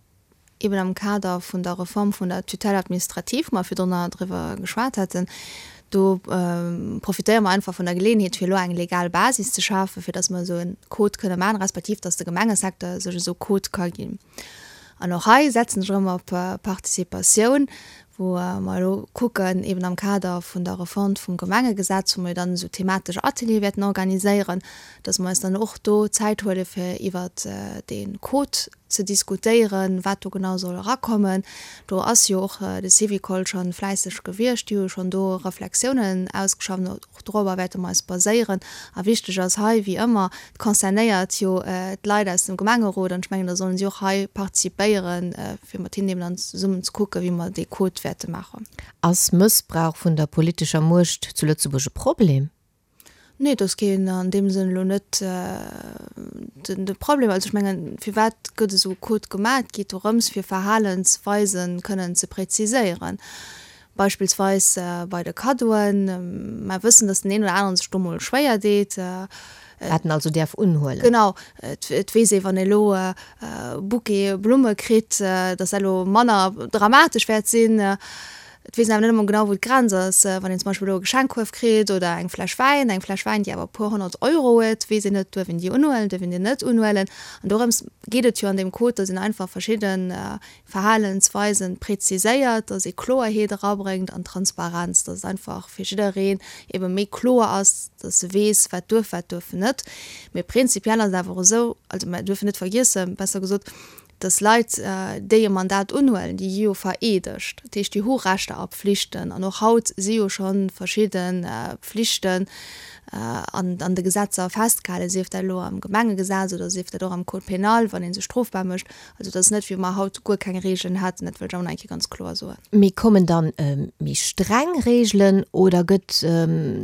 Eben am Kader vun der Reform vun der Tutelle administrative, wou mer virdrunner driwwer geschwat haten, do profitéiere mer einfach vun der Geleeënheet, fir elo eng legal Basis ze schafen, fir dass mer esou e Code kënne maachen, respektiv dass de Gemengesecteur sech esou e Code ka ginn. An och hei setzen ech erëm op Participatioun, wou mer elo kucken, eben am Kader vun der Refonte vum Gemengegesetz, wou mer jo dann esou thematesch Ateliere wäerten organiséieren, dass mer eis dann och do Zäit huele fir iwwert dee Code ze diskutéieren, wat do genau soll erakommen. Do ass jo och de Syvicol scho fläisseg gewiescht, déi hu jo schonn do Reflexiounen ausgeschafft. Och dorobber wäerte mer eis baséieren. A wichteg ass hei, wéi ëmmer, et concernéiert jo d'Leit aus dem Gemengerot an ech mengen, da sollen si och hei participéieren, fir mat hinnen eben dann zesummen ze kucken, wéi mer dee Code wäerte maachen. Ass Mëssbrauch vun der politescher Muecht zu Lëtzebuerg e Problem? Nee, et ass keen an deem Sënn elo net de Problem. Also ech mengen, firwat gëtt esou e Code gemaach? Et geet dorëms, fir Verhalensweise kënnen ze präziséieren. Beispillsweis bei de Kaddoen. Mer wëssen, datt den een oder aneren sech do mol schwéier deet. Wat en also däerf unhuelen. Genau. Et weess ee, wann ee elo e Bouquet Blumme kritt, datt dat elo manner dramatesch wäert sinn. Et weess een awer net ëmmer genau, wou d'Grenz ass. Wann een zum Beispill elo e Geschenkkuerf kritt oder eng Fläsch Wäin, eng Fläsch Wäin, déi awer e puer 100 Euro huet, weess een net, duerf een déi unhuelen, duerf een déi net unhuelen. An dorëms geet et jo an deem Code, datt een einfach verschidde Verhalensweisen präziséiert, datt ee Kloerheet erabréngt an Transparenz, datt et einfach fir jiddereen ebe méi kloer ass, datt e weess, wat duerf, wat duerf en net. Mee prinzipiell ass et awer och esou, also mer duerfen net vergiessen, besser gesot, Dass Leit, déi e Mandat unhuelen, déi gi jo vereedegt. Dat heescht, déi hu Rechter a Pflichten. An och haut si jo scho verschidde Pflichten an de Gesetzer festgehalen, sief dat elo am Gemengegesetz oder sief dat och am Code pénal, wann ee sech strofbar mécht. Also et ass net, wéi wa mer haut guer keng Regeln hätten. Dat wëll ech awer nach eng Kéier ganz kloer soen. Mee kommen dann méi streng Regeln oder gëtt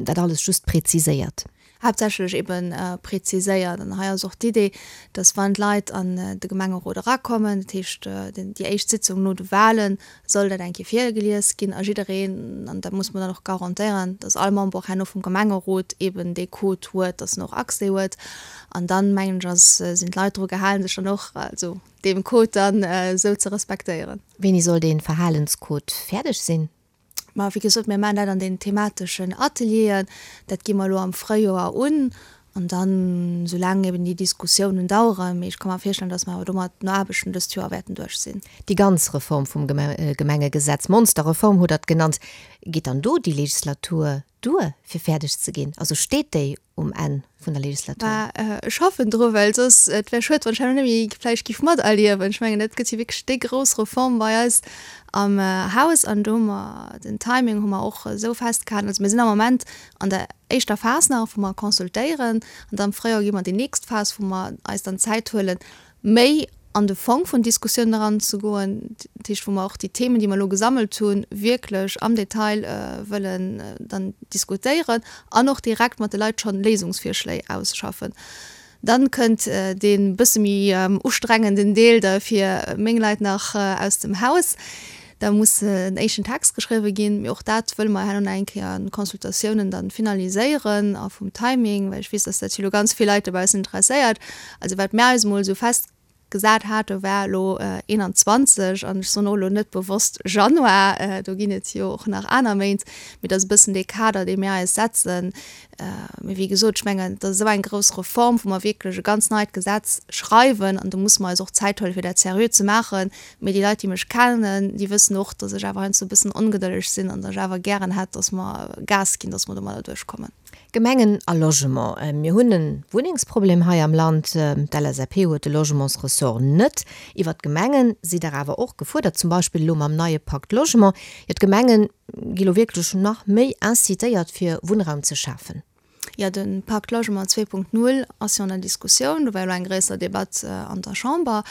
dat alles just präziséiert? Haaptsächlech ebe präziséiert. An hei ass och d'Idee, dass wann d'Leit an de Gemengerot erakommen, dat heescht déi éischt Sitzung no de Wahlen, soll dat eng Kéier virgelies ginn a jiddereen, an dat muss mer dann och garantéieren, dass all Member och herno vum Gemengerot eben dee Code huet, dass en och Accès huet. An dann, mengen ech, ass, sinn d'Leit dru gehalen, sech dann och, also deem Code dann esou ze respektéieren. Wéini soll dee Verhalenscode fäerdeg sinn? Ma wéi gesot, mir maachen dat an den themateschen Atelieren. Dat gi mer elo am Fréijoer un. An dann, soulaang eben déi Diskussiounen daueren, mee ech ka mer virstellen, datt mer awer do mat den Aarbechten dëst Joer wäerten duerch sinn. Déi ganz Reform vum Gemengegesetz, Monsterreform hutt Der et genannt, geet dann do déi Legislatur duer, fir fäerdeg ze ginn? Also steet déi um Enn vun der Legislatur? Bah, ech hoffen dru, well soss, et wär schued, wann ech herno net méi vläicht giff materliewen. Ech mengen, dat gëtt jo wierklech déi grouss Reform bei eis am Haus an do hu mer den Timing hu mer och esou festgehalen. Also mir sinn am Moment an der éischter Phas nach, wou mer consultéieren an da am Fréijoer gi mer an déi nächst Phas, wou mer eis dann Zäit huelen, méi an de Fong vun Diskussiounen eranzegoen, dat heescht wou mer och déi Themen, déi mer elo gesammelt hunn, wierklech am Detail wëllen dann diskutéieren an och direkt mat de Leit schonn Léisungsvirschléi ausschaffen. Dann kënnt dee bësse méi ustrengenden Deel da fir meng Leit nach aus dem Haus. Da muss en éischten Text geschriwwe ginn, mee och dat wëlle mer herno nach eng Kéier an Consultatiounen dann finaliséieren a vum Timing, well ech weess, dass dat jo elo ganz vill Leit dobaussen interesséiert. Also wat mär eis emol esou festgesat hate war elo 21, an ech soen och elo net bewosst Januar, do ginn et jo och nach aner Méint, mee dat ass e bëssen dee Kader, dee mir eis setzen. Mee wéi gesot, ech mengen, dat ass esou eng grouss Reform, wou mer wierklech e ganz neit Gesetz schreiwen, an do musse mer eis och Zäit huelen, fir dat seriö ze maachen. Mee déi Leit, déi mech kennen, déi wëssen och, datt ech awer heiansdo e bëssen ongedëlleg sinn an datt ech awer gären hätt, datt mer Gas ginn, datt mer domadder duerchkommen. Gemengen a Logement. Mir hunn e Wunnengsproblem hei am Land. D'LSAP huet de Logementsressort net. Iwwert d'Gemenge sidd Der awer och gefuerdert, zum Beispill elo mam neie Pacte Logement. Jo, d'Gemenge gi lo wierklech nach méi incitéiert, fir Wunnraum ze schafen. Jo, de Pacte Logement 2.0 ass jo an der Diskussioun. Do war jo elo eng gréisser Debatt an der Chamber.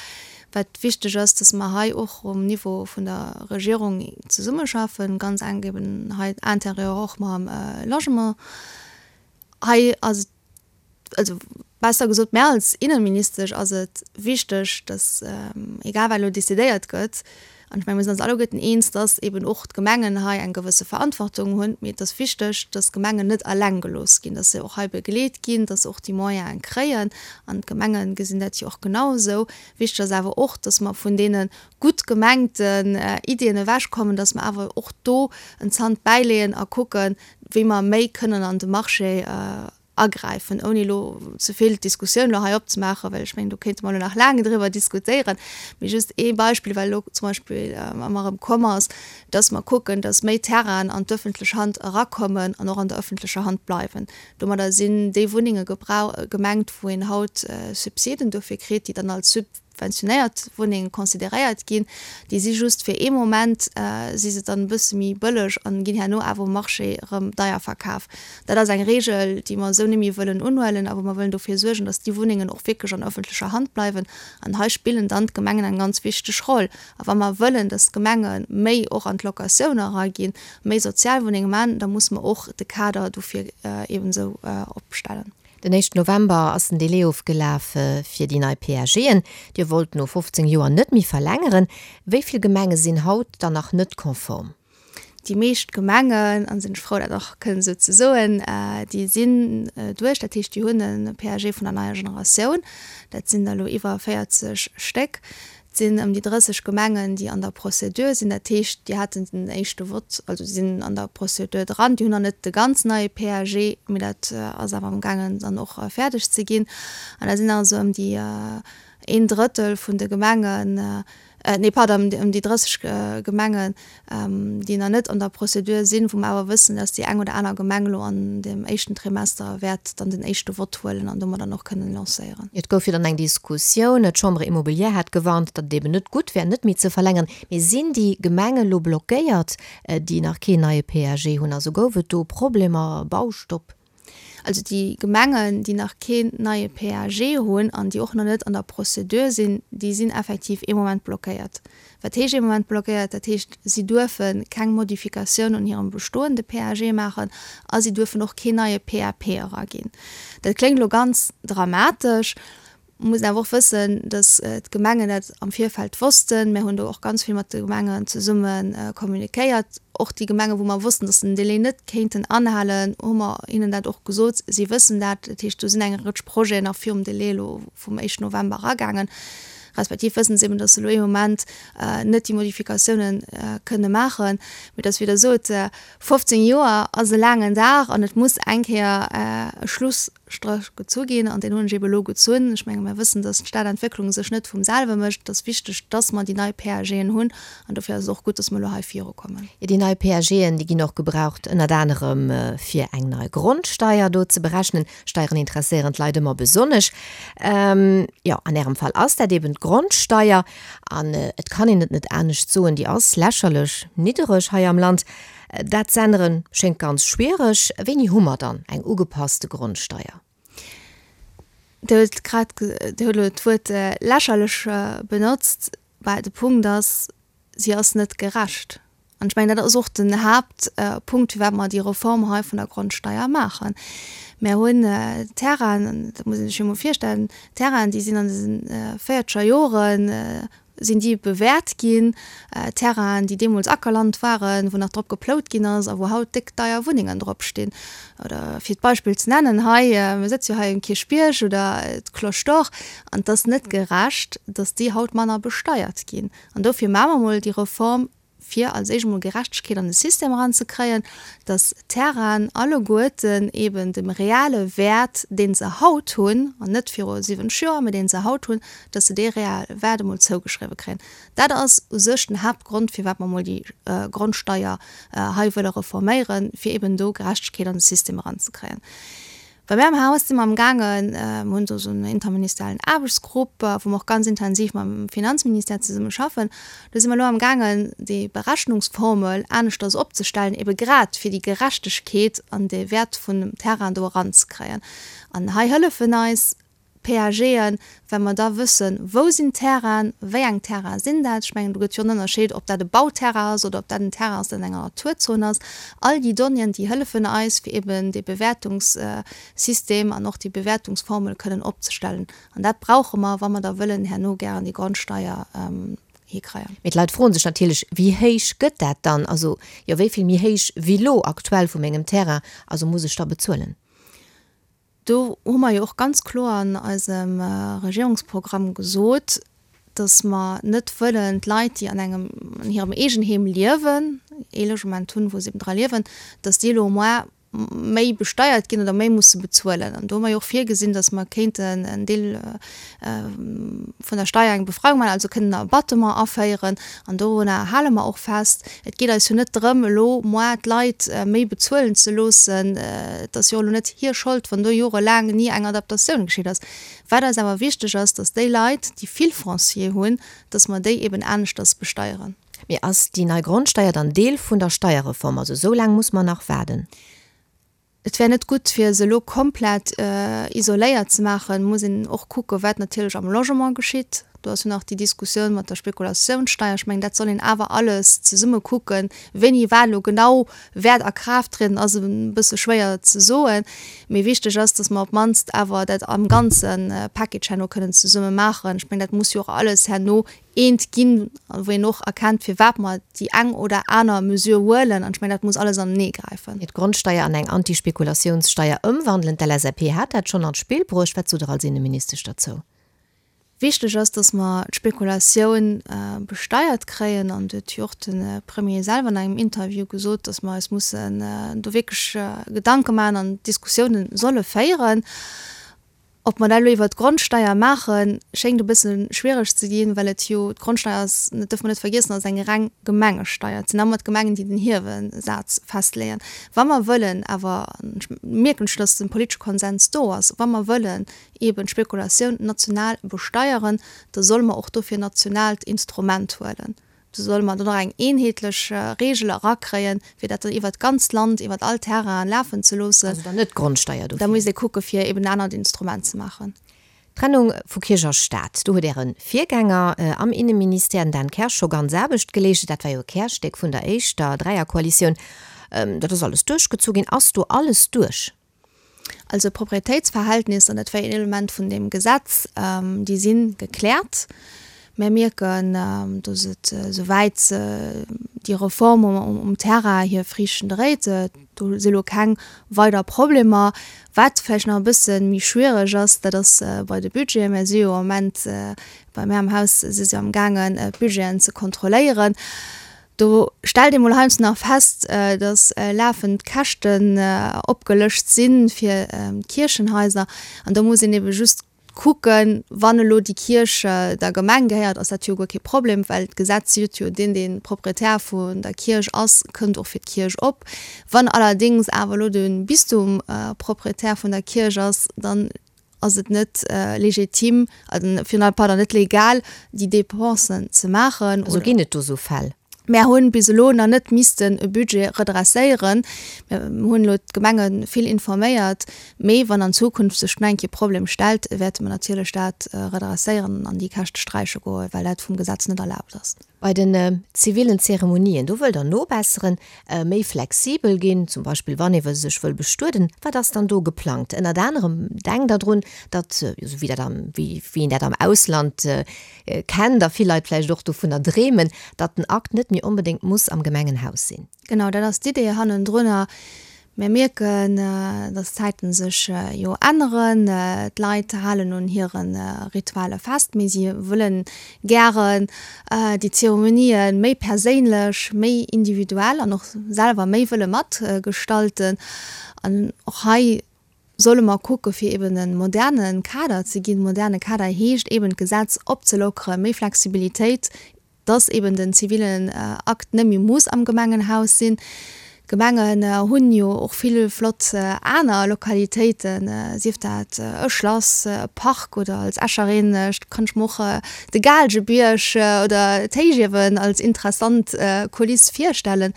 Wat wichteg ass, dass mer hei och um Niveau vun der Regierung zesummeschaffen, ganz enk eben hei intérieur och mam Logement. Hei ass et. Also besser gesot, mär als Innenministesch ass et wichteg, dass, egal wat elo decidéiert gëtt, an ech menge mir sinn eis alleguerten eens, dass eben och d'Gemengen hei eng gewësse Verantwortung hunn, mee et ass wichteg, dass d'Gemengen net eleng gelooss ginn, dass se och hei begleet ginn, dass se och déi Moyene kréien. An d'Gemenge gesinn dat jo och genau esou. Wichteg ass awer och, dass mer vun deene gutt gemengten Iddien ewechkommen, dass mer awer och do en Zant bäileeën a kucken, wéi mer méi kënnen an de Marché agräifen, ouni elo ze vill d'Diskussioun elo hei opzemaachen, well ech mengen, do kéinte mer elo nach laang driwwer diskutéieren. Mee just ee Beispill, well elo zum Beispill ëmmer erëm komm ass, dass mer kucken, dass méi Terrainen an d'ëffentlech Hand erakommen an och an der ëffentlecher Hand bleiwen. Domadder sinn déi Wunnenge gemengt, wou een haut Subsiden dofir kritt, déi dann als subventionéiert Wunnenge consideréiert ginn. Déi si just fir ee Moment si se dann e bësse méi bëlleg an ginn herno awer um Marché erëm deier verkaf. Dat ass eng Regel, déi mer esou net méi wëllen unhuelen a wou mer wëllen dofir suergen, datt déi Wunnengen och wierklech an ëffentlecher Hand bleiwen. An hei spillen dann d'Gemengen eng ganz wichteg Roll. A wa mer wëllen, datt d'Gemenge méi och an d'Locatioun eraginn, méi Sozialwunnenge man, da musse mer och de Kader dofir eben esou opstellen. Den éischten November ass den Delai ofgelaf fir déi nei PAGen. Dir wollt no 15 Joer net méi verlängeren. Wéi vill Gemenge sinn haut dann nach net konform? Déi meescht Gemengen, an sinn ech frou dat och kënnen esou ze soen, déi sinn duerch, dat heescht déi hunn e PAG vun der neier Generatioun. Dat sinn der elo iwwer 40 Stéck. Et sinn ëm déi 30 Gemengen, déi an der Procédure sinn. Dat heescht, déi haten den éischte Vott, also déi sinn an der Procédure dran. Déi hunn nach net de ganz neie PAG, mee dat ass awer amgaangen dann och fäerdeg ze ginn. An da sinn also ëm déi een Drëttel vun de Gemengen, nee pardon, ëm déi 30 Gemengen, déi nach net an der Procédure sinn, wou mer awer wëssen, dass déi eng oder aner Gemeng elo an dem éischten Trimester wäert dann den éischte Vott huelen an domat dann och kënnen lancéieren. Et gouf jo dann eng Diskussioun, d'Chambre immobilière hat gewarnt, datt et eben net gutt wär, net méi ze verlängeren. Mee sinn déi Gemenge elo blockéiert, déi nach keen neie PAG hunn? Also gouf et do Problemer, Baustopp? Also déi Gemengen, déi nach keen neie PAG hunn an déi och nach net an der Procédure sinn, déi sinn effektiv ee Moment blockéiert. Wat heescht ee Moment blockéiert? Dat heescht, si duerfe keng Modifikatioun un hirem bestoende PAG maachen a si duerfen och keen neie PAP eraginn. Dat kléngt elo ganz dramatesch. Muss een awer och wëssen, datt d'Gemengen dat am Virfeld wossten. Mir hunn do och ganz vill mat de Gemengen zesumme kommunikéiert. Och déi Gemengen, wou mer wossten, datt se den Délai net kéinten anhalen, hu mer hinnen dat och gesot. Si wëssen dat. Dat heescht, do sinn eng Rëtsch Projeten nach virum Délai elo vum éischten November eragaangen. Respektiv wëssen se eben, datt se elo ee Moment net déi Modifikatiounen kënne maachen. Mee et ass, wéi Der sot, 15 Joer ass e laangen Dag an et muss eng Kéier e Schluss Stréch gezu ginn, an deen hunn ech ebe elo gezunn. Ech menge mir wëssen, dass d'Stadentwécklung sech net vum selwe mécht. Et ass wichteg, dass mer déi nei PAGen hunn, an dofir ass et och gutt, dass mer elo hei virukommen. Jo, déi nei PAGen, déi ginn och gebraucht ënnert anerem fir eng nei Grondsteier do ze berechnen. Steieren interesséieren d'Leit ëmmer besonnesch. Jo, an Ärem Fall ass dat eben d'Grondsteier, an et kann een et net anescht soen, déi ass lächerlech niddereg hei am Land. Dat z'änneren schéngt ganz schwiereg. Wéini hu mer dann eng ugepasste Grondsteier? Dir hutt grad, Dir hutt elo d'Wuert lächerlech benotzt. Bah, de Punkt ass, si ass net gerecht. An ech mengen, dat ass och den Haaptpunkt, firwat mer déi Reform hei vun der Grondsteier maachen. Mer hunn Terrainen, dat muss ee sech jo emol virstellen, Terrainen, déi sinn an de véierzeger Joren sinn déi bewäert ginn, Terrainen, déi deemools Ackerland waren, wou nach drop geplout ginn ass a wou haut déck deier Wunnengen drop stinn. Oder fir d'Beispill ze nennen hei, mir sëtze jo hei um Kierchbierg, oder d'Cloche d'Or, an et ass net gerecht, datt déi haut manner besteiert ginn. An dofir maache mer emol déi Reform, fir als éischt emol Gerechtegkeet an de System eranzekréien, dass d'Terrainen alleguerten eben dem reale Wäert, dee se haut hunn, an net viru 70 Joer, mä dee se haut hunn, dass se dee reale Wäert emol zougeschriwwe kréien. Dat ass u sech den Haaptgrond, firwat mer emol déi Grondsteier hei wëlle reforméieren, fir eben do Gerechtegkeet an de System eranzekréien. Bei mär am Haus si mer am gaangen, mer hunn do esou en interministeriellen Aarbechtsgrupp, wou mer och ganz intensiv mam Finanzministère zesumme schaffen. Do si mer elo am gaangen, déi Berechnungsformel aneschters opzestellen, ebe grad fir déi Gerechtegkeet an dee Wäert vun dem Terrain do eranzekréien. An hei hëllefen eis. PAGen, well mer da wëssen, wou sinn d'Terrainen, wéi eng Terraine sinn dat. Ech mengen, do gëtt jo en Ënnerscheed, ob dat e Bauterrain ass oder ob dat en Terrain ass, deen an enger Naturzon ass. All déi Donnéeën, déi hëllefen eis, fir eben dee Bewäertungssystem an och déi Bewäertungsformel kënnen opzestellen. An dat brauche mer, wa mer da wëllen herno gären déi Grondsteier hikreien. Mee d'Leit froen sech natierlech, Wéi héich gëtt dat dann? Also, jo, wéi vill méi héich wéi lo aktuell vu mengem Terrain, also muss ech da bezuelen? Do hu mer jo och ganz kloer an eisem Regierungsprogramm gesot, dass mer net wëllen d'Leit, déi an engem, an hirem Eegenheem liewen, ee Logement hunn, wou se eben dra liewen, dass déi elo au moins méi besteiert ginn oder méi musse bezuelen. An do hu mer jo och virgesinn, dass mer kéinten en Deel vun der Steier eng Befreiung maachen, also kënnen en Abattement aféieren. An dorunner hale mer och fest. Et geet eis jo net drëm, elo moi d'Leit méi bezuelen ze loossen. Et ass jo elo net hir Schold, wann do jorelaang ni eng Adaptatioun geschitt ass. Wat eis awer wichteg ass, dass déi Leit, déi vill Foncier hunn, dass mer déi eben aneschters besteieren. Mee ass déi nei Grondsteier dann Deel vun der Steierreform? Also esou laang muss mer nach waarden? Et wär net gutt, fir se elo komplett isoléiert ze maachen. Et muss een och kucken, wat natierlech am Logement geschitt. Do ass jo nach déi Diskussioun mat der Spekulatiounssteier. Ech mengen, dat soll een awer alles zesumme kucken. Wéini wat elo genau wäert a Kraaft trieden, ass e bësse schwéier ze soen. Mee wichteg ass, datt mer op d'mannst awer dat am ganze Package herno kënnen zesumme maachen. Ech mengen, dat muss jo och alles herno eent ginn, wou een och erkennt, firwat mer déi eng oder aner Mesure huelen. An ech mengen, dat muss alles anenee gräifen. D'Grondsteier an eng Antispekulatiounssteier ëmwandelen, d'LSAP hat dat schonn an d'Spill bruecht. Wat sot Der als Inneministesch derzou? Wichteg ass, datt mer d'Spekulatioun besteiert kréien. An do huet jo och de Premier selwer an engem Interview gesot, datt mer eis mussen do wierklech Gedanke maachen an Diskussiounen solle féieren. Ob mer dat elo iwwert d'Grondsteier maachen, schéngt e bësse schwiereg ze ginn, well et jo, d'Grondsteier ass, dat dierfe mer net vergiessen, ass eng reng Gemengesteier. Et sinn ëmmer d'Gemengen, déi den Hiewesaz festleeën. Wa mer wëllen awer, an ech mierken scho, dass de politesche Konsens do ass, wa mer wëllen eeben d'Spekulatioun national besteieren, da solle mer och dofir en nationaalt Instrument huelen. Do solle mer dann och eng eenheetlech Reegel erakréien, fir dat dann iwwert d'ganzt Land, iwwert all Terrainen lafen ze loossen. Also dann net d'Grondsteier dofir. Da misst ee kucke fir eben en anert Instrument ze maachen. D'Trennung vu Kierch a Staat, do huet Äre Virgänger am Inneministère, den Dan Kersch, scho ganz Aarbecht geleescht. Dat war jo e Kärstéck vun der éischter Dräierkoalitioun. Dat ass alles duerchgezu ginn. Ass do alles duerch? Also d'Proprietéitsverhältnisser, dat war een Element vun deem Gesetz, déi si gekläert. Mir mierken, datt et esouwäit déi Reform um Terrain hir Friichten dréit. Do si lo keng weider Problemer. Wat vläicht nach e bësse méi schwiereg ass, dat ass bei de Budgeten. Mir si jo am Moment, bei mär am Haus si se amgaangen d'Budgeten ze kontrolléieren. Do stellt ee mol heiansdo nach fest, dass lafend Käschten opgelëscht si fir d'Kierchenhaiser. An do muss een ebe just kucken, wann elo déi Kierch der Gemeng gehéiert, ass dat jo guer kee Problem, well d'Gesetz seet jo, deen, dee Proprietär vun der Kierch ass, kënnt och fir d'Kierch op. Wann allerdéngs awer elo de Bistum Proprietär vun der Kierch ass, dann ass et net legitim, pardon, net legal, déi Dépensen ze maachen. Also ginn et do esou Fäll? Mär hunn bis elo nach net missten e Budget redresséieren. Mir hunn elo d'Gemenge vill informéiert, mee wann an Zukunft sech nach eng Kéier e Problem stellt, wäerte mer natierlech dat redresséieren an déi Käschte sträiche goen, well dat vum Gesetz net erlaabt ass. Bei den zivilen Zeremonien, do wëllt Der nobesseren, méi flexibel ginn, zum Beispill wann ee sech wëll bestueden. Wat ass dann do geplangt? Ënnert anerem denkt Der drun, datt, esou wéi dat am, wéi een dat am Ausland kennt a vill Leit vläicht och dovunner dreemen, datt den Akt net méi onbedéngt muss am Gemengenhaus sinn. Genau, dat ass d'Idee hannendrunner. Mir mierken, dass d'Zäiten sech jo änneren. D'Leit halen un hire Ritualer fest, mee si wëllen gären déi Zeremonië méi perséinlech, méi individuell an och selwer méi wëlle matgestalten. An och hei solle mer kucke fir eben e moderne Kader ze ginn. Moderne Kader heescht eben d'Gesetz opzelockeren, méi Flexibilitéit dass eben den zivilen Akt net méi muss am Gemengenhaus sinn. D'Gemengen hunn jo och vill flott aner Lokalitéiten, sief dat e Schlass, e Park oder als Escherin kann ech mer och de Gaalgebierg oder d'Héichiewen als interessant Kuliss virstellen.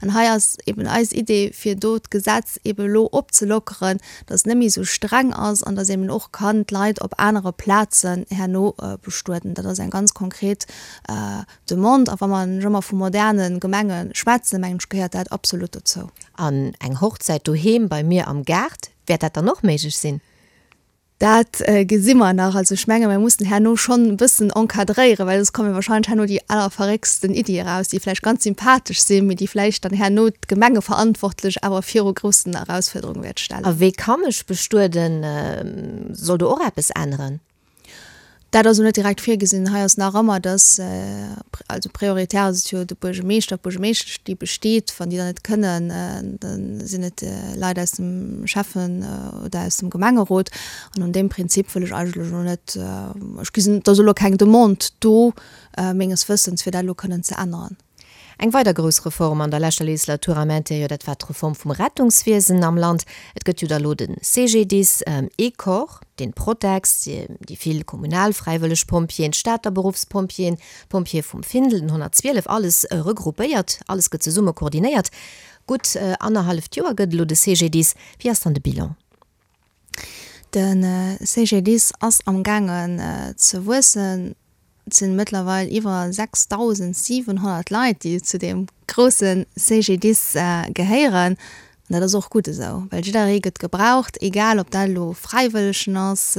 An hei ass eben eis Idee, fir do d'Gesetz eben elo opzelockeren, dass et net méi esou streng ass an dass eben och kann d'Leit op anere Plazen herno bestueden. Dat ass eng ganz konkret Demande. A wa mer ëmmer vu moderne Gemenge schwätzen, mengen ech, gehéiert dat absolut dozou. An eng Hochzäit doheem bei mir am Gaart, wäert dat dann och méiglech sinn? Dat gesi mer nach. Also ech menge mer mussen herno schonn e bëssen encadréieren, well soss komme wahrscheinlech herno déi allerverrécksten Iddie eraus, déi vläicht ganz sympathesch sinn, mee déi vläicht dann herno d'Gemengeverantwortlech awer viru groussen Erausfuerderunge wäert stellen. A wéi ka mech bestueden? Soll do och eppes änneren? Dat ass elo net direkt virgesinn. Hei ass nach ëmmer, dass, also prioritär ass et jo de Buergermeeschter, d'Buergermeeschtesch, déi besteet. Wann déi dann net kënnen, da sinn et Leit aus dem Schäffen oder aus dem Gemengerot. An un deem Prinzip wëll ech eigentlech elo net, ech gesinn, et ass elo keng Demande do, menges Wëssens, fir dat elo kënnen ze änneren. Eng weider grouss Reform an der leschter Legislatur am Interieur, dat war d'Reform vum Rettungswiesen am Land. Et gëtt jo da lo de CGDIS, ee Corps, den Protex, déi vill kommunal fräiwëlleg Pompjeeën, d'Stater Beruffspompjeeën, d'Pompjeeë vum Findel, den 112, alles regroupéiert, alles gëtt zesumme koordinéiert. Gutt annerhalleft Joer gëtt elo de CGDIS. Wéi ass dann de Bilan? De CGDIS ass am gaangen ze wuessen. Et sinn mëttlerweil iwwer 6.700 Leit, déi zu deem grousse CGDIS gehéieren. An dat ass och gutt esou, well jidderee gëtt gebraucht, egal ob dat elo Fräiwëllegen ass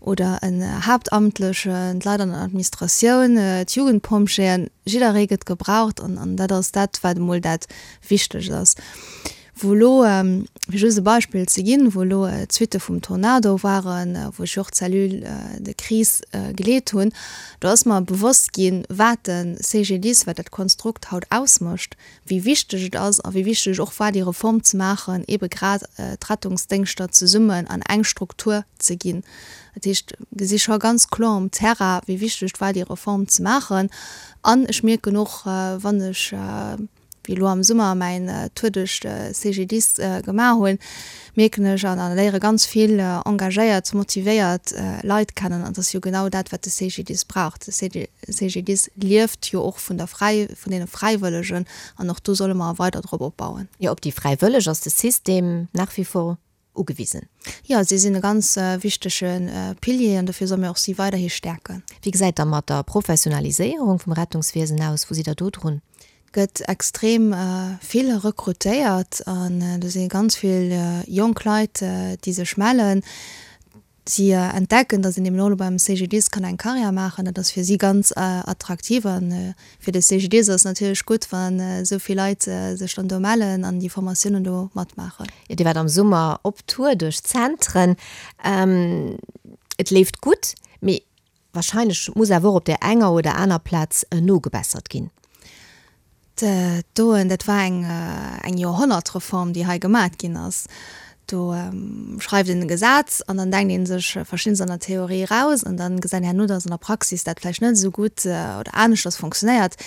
oder en Haaptamtlechen, d'Leit an der Administratioun, d'Jugendpompjeeën, jidderee gëtt gebraucht an dat ass dat, wat emol dat Wichtegst ass. Wou elo, fir just e Beispill ze ginn, wou elo d'Suitte vum Tornado waren, wou ech jo och d'Cellule de crise geleet hunn, do ass mer bewosst ginn, wat de CGDIS, wat dat Konstrukt haut ausmécht, wéi wichteg et ass a wéi wichteg et och war, déi Reform ze maachen, eebe grad d'Rettungsdéngschter zesummen an eng Struktur ze ginn. Dat heescht, gesi scho ganz kloer um Terrain, wéi wichteg et war, déi Reform ze maachen. An ech mierken och, wann ech, wéi elo am Summer mäin Tour duerch de CGDIS gemaach hunn, mierken ech an léiere ganz vill engagéiert, motivéiert Leit kennen. An et ass jo genau dat, wat de CGDIS brauch. De CGDIS lieft jo och vun der Fräi, vun deene Fräiwëllegen an och do solle mer weider drop opbauen. Jo, op déi Fräiwëlleg ass de System nach wie vor ugewisen. Jo, si sinn e ganz wichtege Pilier an dofir solle mir och si weiderhi stäerken. Wéi gesäit da mat der Professionaliséierung vum Rettungswiesen aus? Wou sidd Der do drun? Et gëtt extrem vill rekrutéiert an do si ganz vill jonk Leit, déi sech mellen. Si entdecken, datt een eben och elo beim CGDIS kann eng Karriär maachen. Dat ass fir si ganz attraktiv. A fir de CGDIS ass et natierlech gutt, wann esou vill Leit sech dann do mellen an déi Formatiounen do matmaachen. Jo, Dir waart am Summer op Tour duerch d'Zentren. Et leeft gutt, mee Wahrscheinlech muss awer och op där enger oder aner Plaz nogebessert ginn. Doen, dat war eng eng Joerhonnertreform, déi hei gemat ginn ass. Do schreift een e Gesetz an dann denkt ee sech verschiddenes an der Theorie eraus an dann gesäit een herno, datt an der Praxis dat vläicht net esou gutt oder aneschters fonctionnéiert.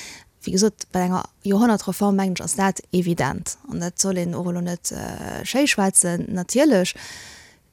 Wéi gesot, bei enger Joerhonnertreform, mengen ech, ass dat evident an dat soll een och elo net schéischwätzen. Natierlech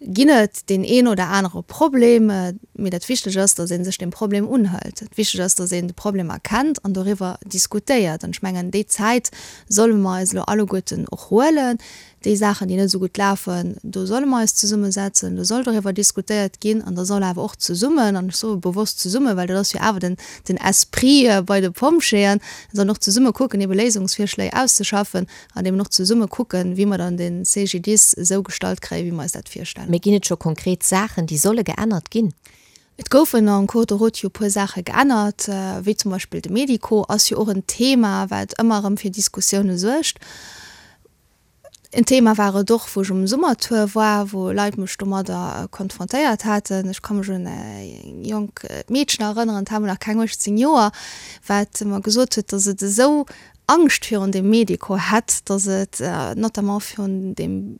ginn et deen een oder anere Problem, mee dat Wichteg ass, datt ee sech deem Problem unhëlt. Dat Wichteg ass, datt een de Problem erkennt an doriwwer diskutéiert. An ech mengen, déi Zäit solle mer eis elo alleguerten och huelen. Déi Saachen, déi net esou gutt lafen, do solle mer eis zesummesetzen, do soll doriwwer diskutéiert ginn an da soll awer och zesummen, an ech soe bewosst zesummen, well dat ass jo awer den, den Esprit bei de Pompjeeën, sollen och zesumme kucken, ebe Léisungsvirschléi auszeschaffen, An eben och zesumme kucken, wéi mer dann de CGDIS esou gestallt kréien, wéi mer eis dat virstellen. Mee ginn et scho konkret Saachen, déi solle geännert ginn? Et goufen en cours de route jo e puer Saache geännert, wéi zum Beispill de Medico ass jo och en Thema, wat ëmmer erëm fir Diskussioune suergt. En Thema war et och, wou ech um Summertour war, wou Leit mech domadder konfrontéiert haten. Ech ka mech un eng jonk Meedchen erënneren, dat hat mol nach keng 18 Joer, wat mer gesot huet, datt et esou Angscht virun dem Medico hätt, datt et notamment virun dem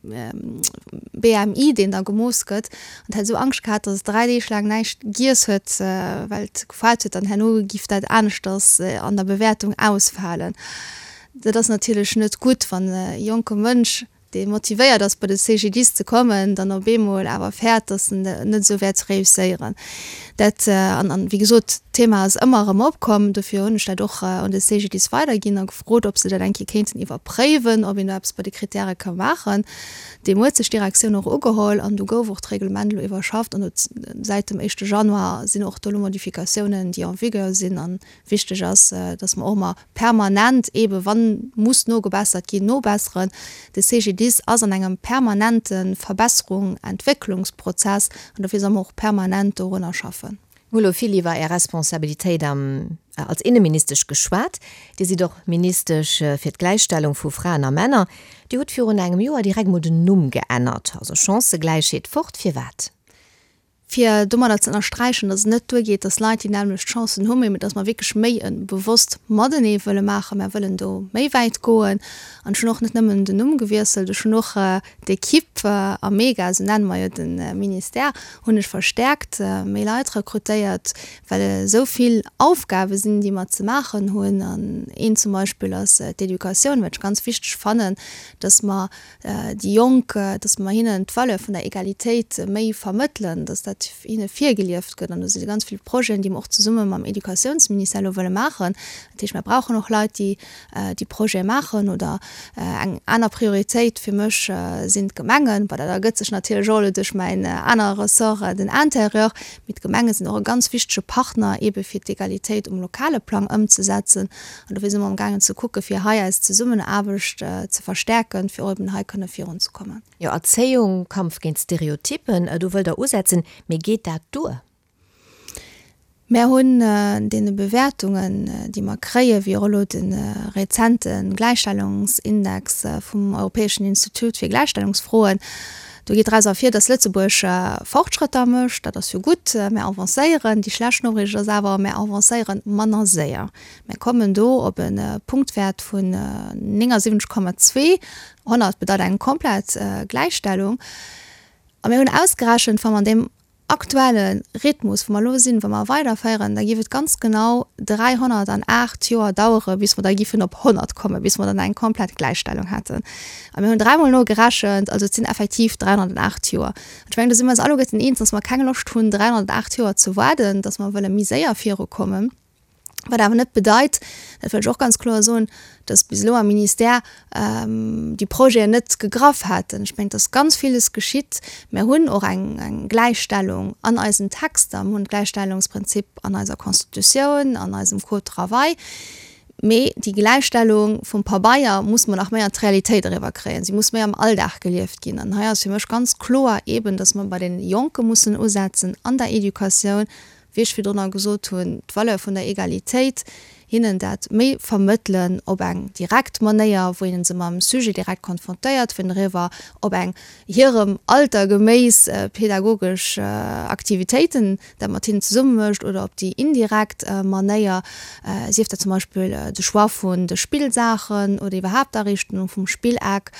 BMI, deen da gemooss gëtt, an et hätt esou Angscht gehat, datt et 3 Deeg laang näischt giess huet, well et gefaart huet, dann herno giff dat aneschters an der Bewäertung ausfalen. Dat ass natierlech net gutt, wann e jonke Mënsch, dee motivéiert ass bei de CGDIS ze kommen, dann op eemol awer fäert, datt en net esou wäert réusséieren. Dat, an, an wéi gesot, d'Thema ass ëmmer erëm opkomm, dofir hunn ech dat och un de CGDIS weiderginn a gefrot, ob se dat eng Kéier kéinten iwwerpréiwen, ob een do eppes bei de Krittäre ka maachen. Deem huet sech d'Direktioun och ugeholl an do gouf och d'Reglement elo iwwerschafft an säit dem éischte Januar sinn och do elo Modifikatiounen, déi en vigueur sinn an Wichteg ass, dass mer och ëmmer permanent, eebe wann muss nogebessert ginn, nobesseren. De CGDIS ass an engem permanente Verbesserung, Entwécklungsprozess an dofir solle mer och permanent dorunner schaffen. Mir hu lo vill iwwer Är Responsabilitéit am als Inneministesch geschwat. Dir sidd och Ministesch fir d'Gläichstellung vu Fraen a Männer. Dir hutt virun engem Joer direkt mol den Numm geännert, also Chancëgläichheet fort. Firwat? Fir domadder ze ënnersträichen, datt et net duergeet, datt Leit déi nämmlecht Chancen hunn, mee datt mer wierklech méi e bewosst Matenee wëlle maachen. Mer wëllen do méi wäit goen. An ech hunn och net nëmmen den Numm gewiesselt, ech hunn och d'Equipe am MEGA, esou nenne mer jo de Ministère, hunn ech verstäerkt, méi Leit rekrutéiert, well esou vill Aufgabe sinn, déi mer ze maachen hunn. An een zum Beispill ass d'Educatioun, wat ech ganz wichteg fannen, datt mer déi Jonk, dass mer hinnen d'Valeur vun der Egalitéit méi vermëttelen, dass dat hinne virgelieft gëtt. An do si ganz vill Projeten, déi mer och zesumme mam Educatiounsministère elo wëlle maachen. Dat heescht, mer brauchen och Leit, déi déi Projete maachen. Oder eng aner Prioritéit fir mech sinn d'Gemengen. Bon, dat ergëtt sech natierlech och elo duerch mäin anere Ressort, den Intérieur. Mee d'Gemenge sinn och e ganz wichtege Partner, eebe fir d'Egalitéit um lokale Plang ëmzesetzen. An dofir si mer amgaangen ze kucken, fir hei eis Zesummenaarbecht ze verstärken, fir och eben hei kënne virunzekommen. Jo, Erzéiung, Kampf géint Stereotyppen, do wëllt Der usetzen. Mee geet dat duer? Mär hunn deene Bewäertungen, déi mer kréien, wéi och elo de rezente Gläichstellungsindex vum Europäeschen Institut fir Gläichstellungsfroen, do geet draus ervir, datt Lëtzebuerg Fortschrëtter mécht. Dat ass jo gutt, mär avancéieren. Déi schlecht Noriicht ass awer, mär avancéiere manner séier. Mär kommen do op e Punktwäert vun 79,2. 100 bedeit eng komplett Gläichstellung. A mir hunn ausgerechent, wa mer an deem aktuelle Rhythmus, wou mer elo sinn, wa mer weiderféieren, da géif et ganz genau 308 Joer dauere bis mer da giffen op 100 kommen, bis mer dann eng komplett Gläichstellung hätten. A mir hunn dräimol nogerechent, also et sinn effektiv 308 Joer. An ech mengen, do si mer eis alleguerten eens, dass mer keng Loscht hunn, 308 Joer ze waarden, dass mer wëlle méi séier virukommen. Wat awer net bedeit, dat wëll ech och ganz kloer soen, dass bis elo am Ministère déi Projeten net gegraff hätten. Ech mengen, et ass ganz villes geschitt. Mir hunn och eng, eng Gläichstellung an eisen Texter. Mir hunn d'Gläichstellungsprinzip an eiser Constitutioun, an eisem Code travail. Mee déi Gläichstellung vum Pabeier muss mer nach méi an d'Realitéit eriwwerkréien. Si muss méi am Alldag gelieft ginn. An hei ass fir mech ganz kloer eeben, dass mer bei de Jonke mussen usetzen an der Educatioun, wéi ech virdrunner gesot hunn, d'Valeur vun der Egalitéit, hinnen dat méi vermëttelen op eng direkt Manéier, wou een se mam Sujet direkt konfrontéiert, wou een eriwwer op eng hirem Alter geméiss pedagogesch Aktivitéiten dat mat hinnen zesumme mécht oder op déi indirekt Manéier, sief dat zum Beispill de Choix vun de Spillsaachen oder iwwerhaapt d'Ariichtung vum Spilleck.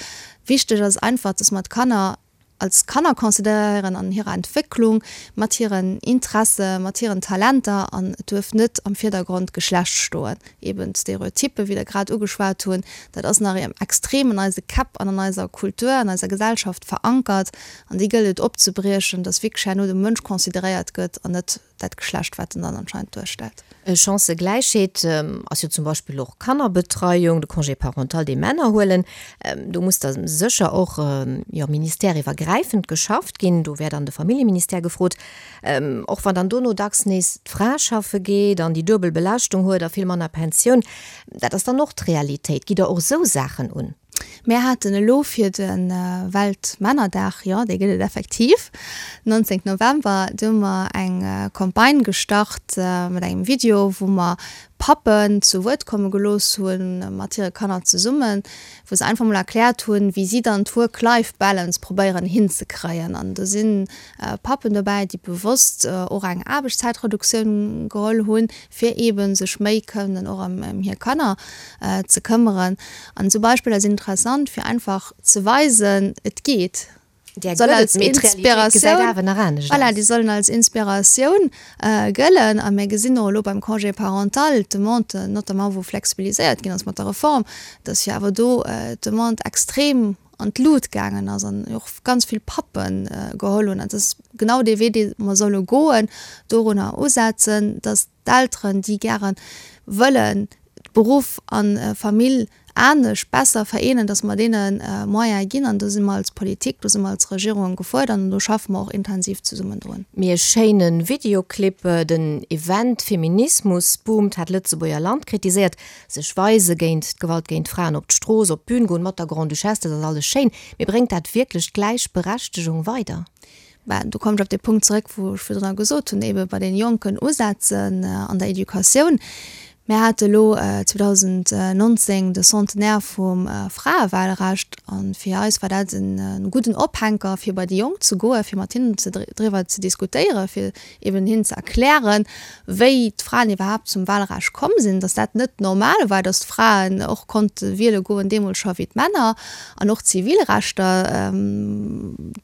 Wichteg ass einfach, dass mer d'Kanner als Kanner consideréieren an hirer Entwécklung, mat hiren Interesse, mat hiren Talenter an et duerf net am Virdergrond d'Geschlecht stoen. Eben d'Stereotypen, wéi Der grad ugeschwat hunn, dat ass nach extrem an eise Käpp an an eiser Kultur, an eiser Gesellschaft verankert an déi gëllt et opzebriechen, dass wierklech herno de Mënsch consideréiert gëtt an net dat Geschlecht, wat en dann anscheinend duerstellt. Chancëgläichheet ass jo zum Beispill och Kannerbetreiung, de Congé parental, dee Männer huelen. Do muss da sécher och, jo, ministèreiwwergräifend geschafft ginn. Do wär dann de Familljeministère gefrot. Och wann dann dono dacks nees d'Fra schaffe geet an déi duebel Belaaschtung huet a vill manner Pensioun. Dat ass dann och d'Realitéit. Gitt Der och esou Saachen un? Mär haten elo fir de Weltmännerdag, jo, dee gëtt et effektiv, 19 November, do hu mer eng Campagne gestart mat engem Video, wou mer Pappen zu Wuert komme gelooss hunn, mat hire Kanner zesummen, wou se einfach mol erkläert hunn, wéi si dann d'Work-Life-Balance probéieren hinzekréien. An do si Pappen dobäi, déi bewosst och eng Aarbechtszäitreduktioun geholl hunn, fir eebe sech méi kënnen och ëm hir Kanner ze këmmeren. An esou Beispiller sinn interessant, fir einfach ze weisen, et geet. Där gëtt et, mee d'Realitéit gesäit awer nach anescht aus. Voilà, déi sollen als Inspiratioun gëllen. A mir gesinn och elo beim Congé parental d'Demande, notamment wou flexibiliséiert ginn ass mat der Reform, dass jo awer do d'Demande extrem an d'Lut gaangen ass an och ganz vill Pappe geholl hunn. An dat ass genau dee Wee, dee mer solle goen, dorunner usetzen, dass d'Elteren, déi gäre wëllen Beruff a Famill anescht, besser vereenen, dass mer deene Moyene ginn. An do si mer als Politik, do si mer als Regierung gefuerdert an do schaffe mer och intensiv zesummen drun. Mee e schéine Videoclip, den Event Feminismus boomt hat Lëtzebuerger Land kritiséiert. Sech weise géint d'Gewalt géint Fraen, op d'Strooss, op d'Bün goen mat der Grande-Duchesse, dat ass alles schéin, mee bréngt dat wierklech d'Gläichberechtegung weider? Ben, do kommen ech op dee Punkt zeréck, wou ech virdrun gesot hunn, eebe bei deene Jonken usetzen an der Educatioun. Mir hate elo 2019 de Centenaire vum Fraewahlrecht a fir eis war dat e gudden Ophänker, fir bei déi Jonk ze goen, fir mat hinnen driwwer ze diskutéieren, fir eben hinnen ze erklären, wéi d'Fraen iwwerhaapt zum Wahlrecht komm sinn, dass dat net normal war, dass d'Fraen och konnte wiele goen, deemools scho wéi d'Männer, an och d'Zivilrechter,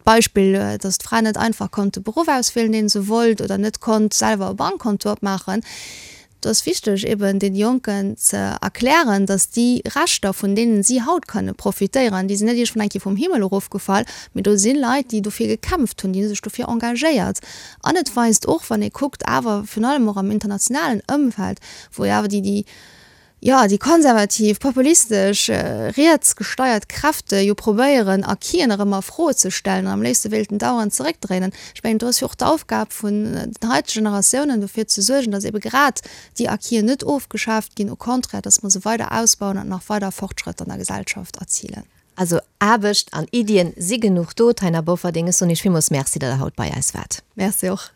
d'Beispill, dass d'Fra net einfach konnt de Beruff auswielen, dee se wollt, oder net konnt selwer e Bankkonto opmaachen. Do ass wichteg, eben deene Jonken ze erklären, dass déi Rechter, vun deenen si haut kënne profitéieren, déi sinn net iergendwann eng Kéier vum Himmel erofgefall, mee do si Leit, déi dofir gekämpft hunn, déi hu sech dofir engagéiert. An et weist och, wann ee kuckt, awer virun allem och am internationalen Ëmfeld, wou jo awer déi, déi, jo, déi konservativ, populistesch, riets gesteiert Kräfte jo probéieren, Acquisen erëm a Fro ze stellen an am léifste wéilten d'Aueren zeréckdréinen. Ech mengen, do ass jo och d'Aufgab vun den haitege Generatiounen, dofir ze suergen, datt ebe grad déi Acquisen net ofgeschaaft ginn, au contraire, datt mer se weider ausbauen an nach weider Fortschrëtter an der Gesellschaft erzilen. Also Aarbecht an Iddien si genuch do. Taina Bofferding, ech soen Iech villmools Merci, datt Der haut bei eis waart. Merci och.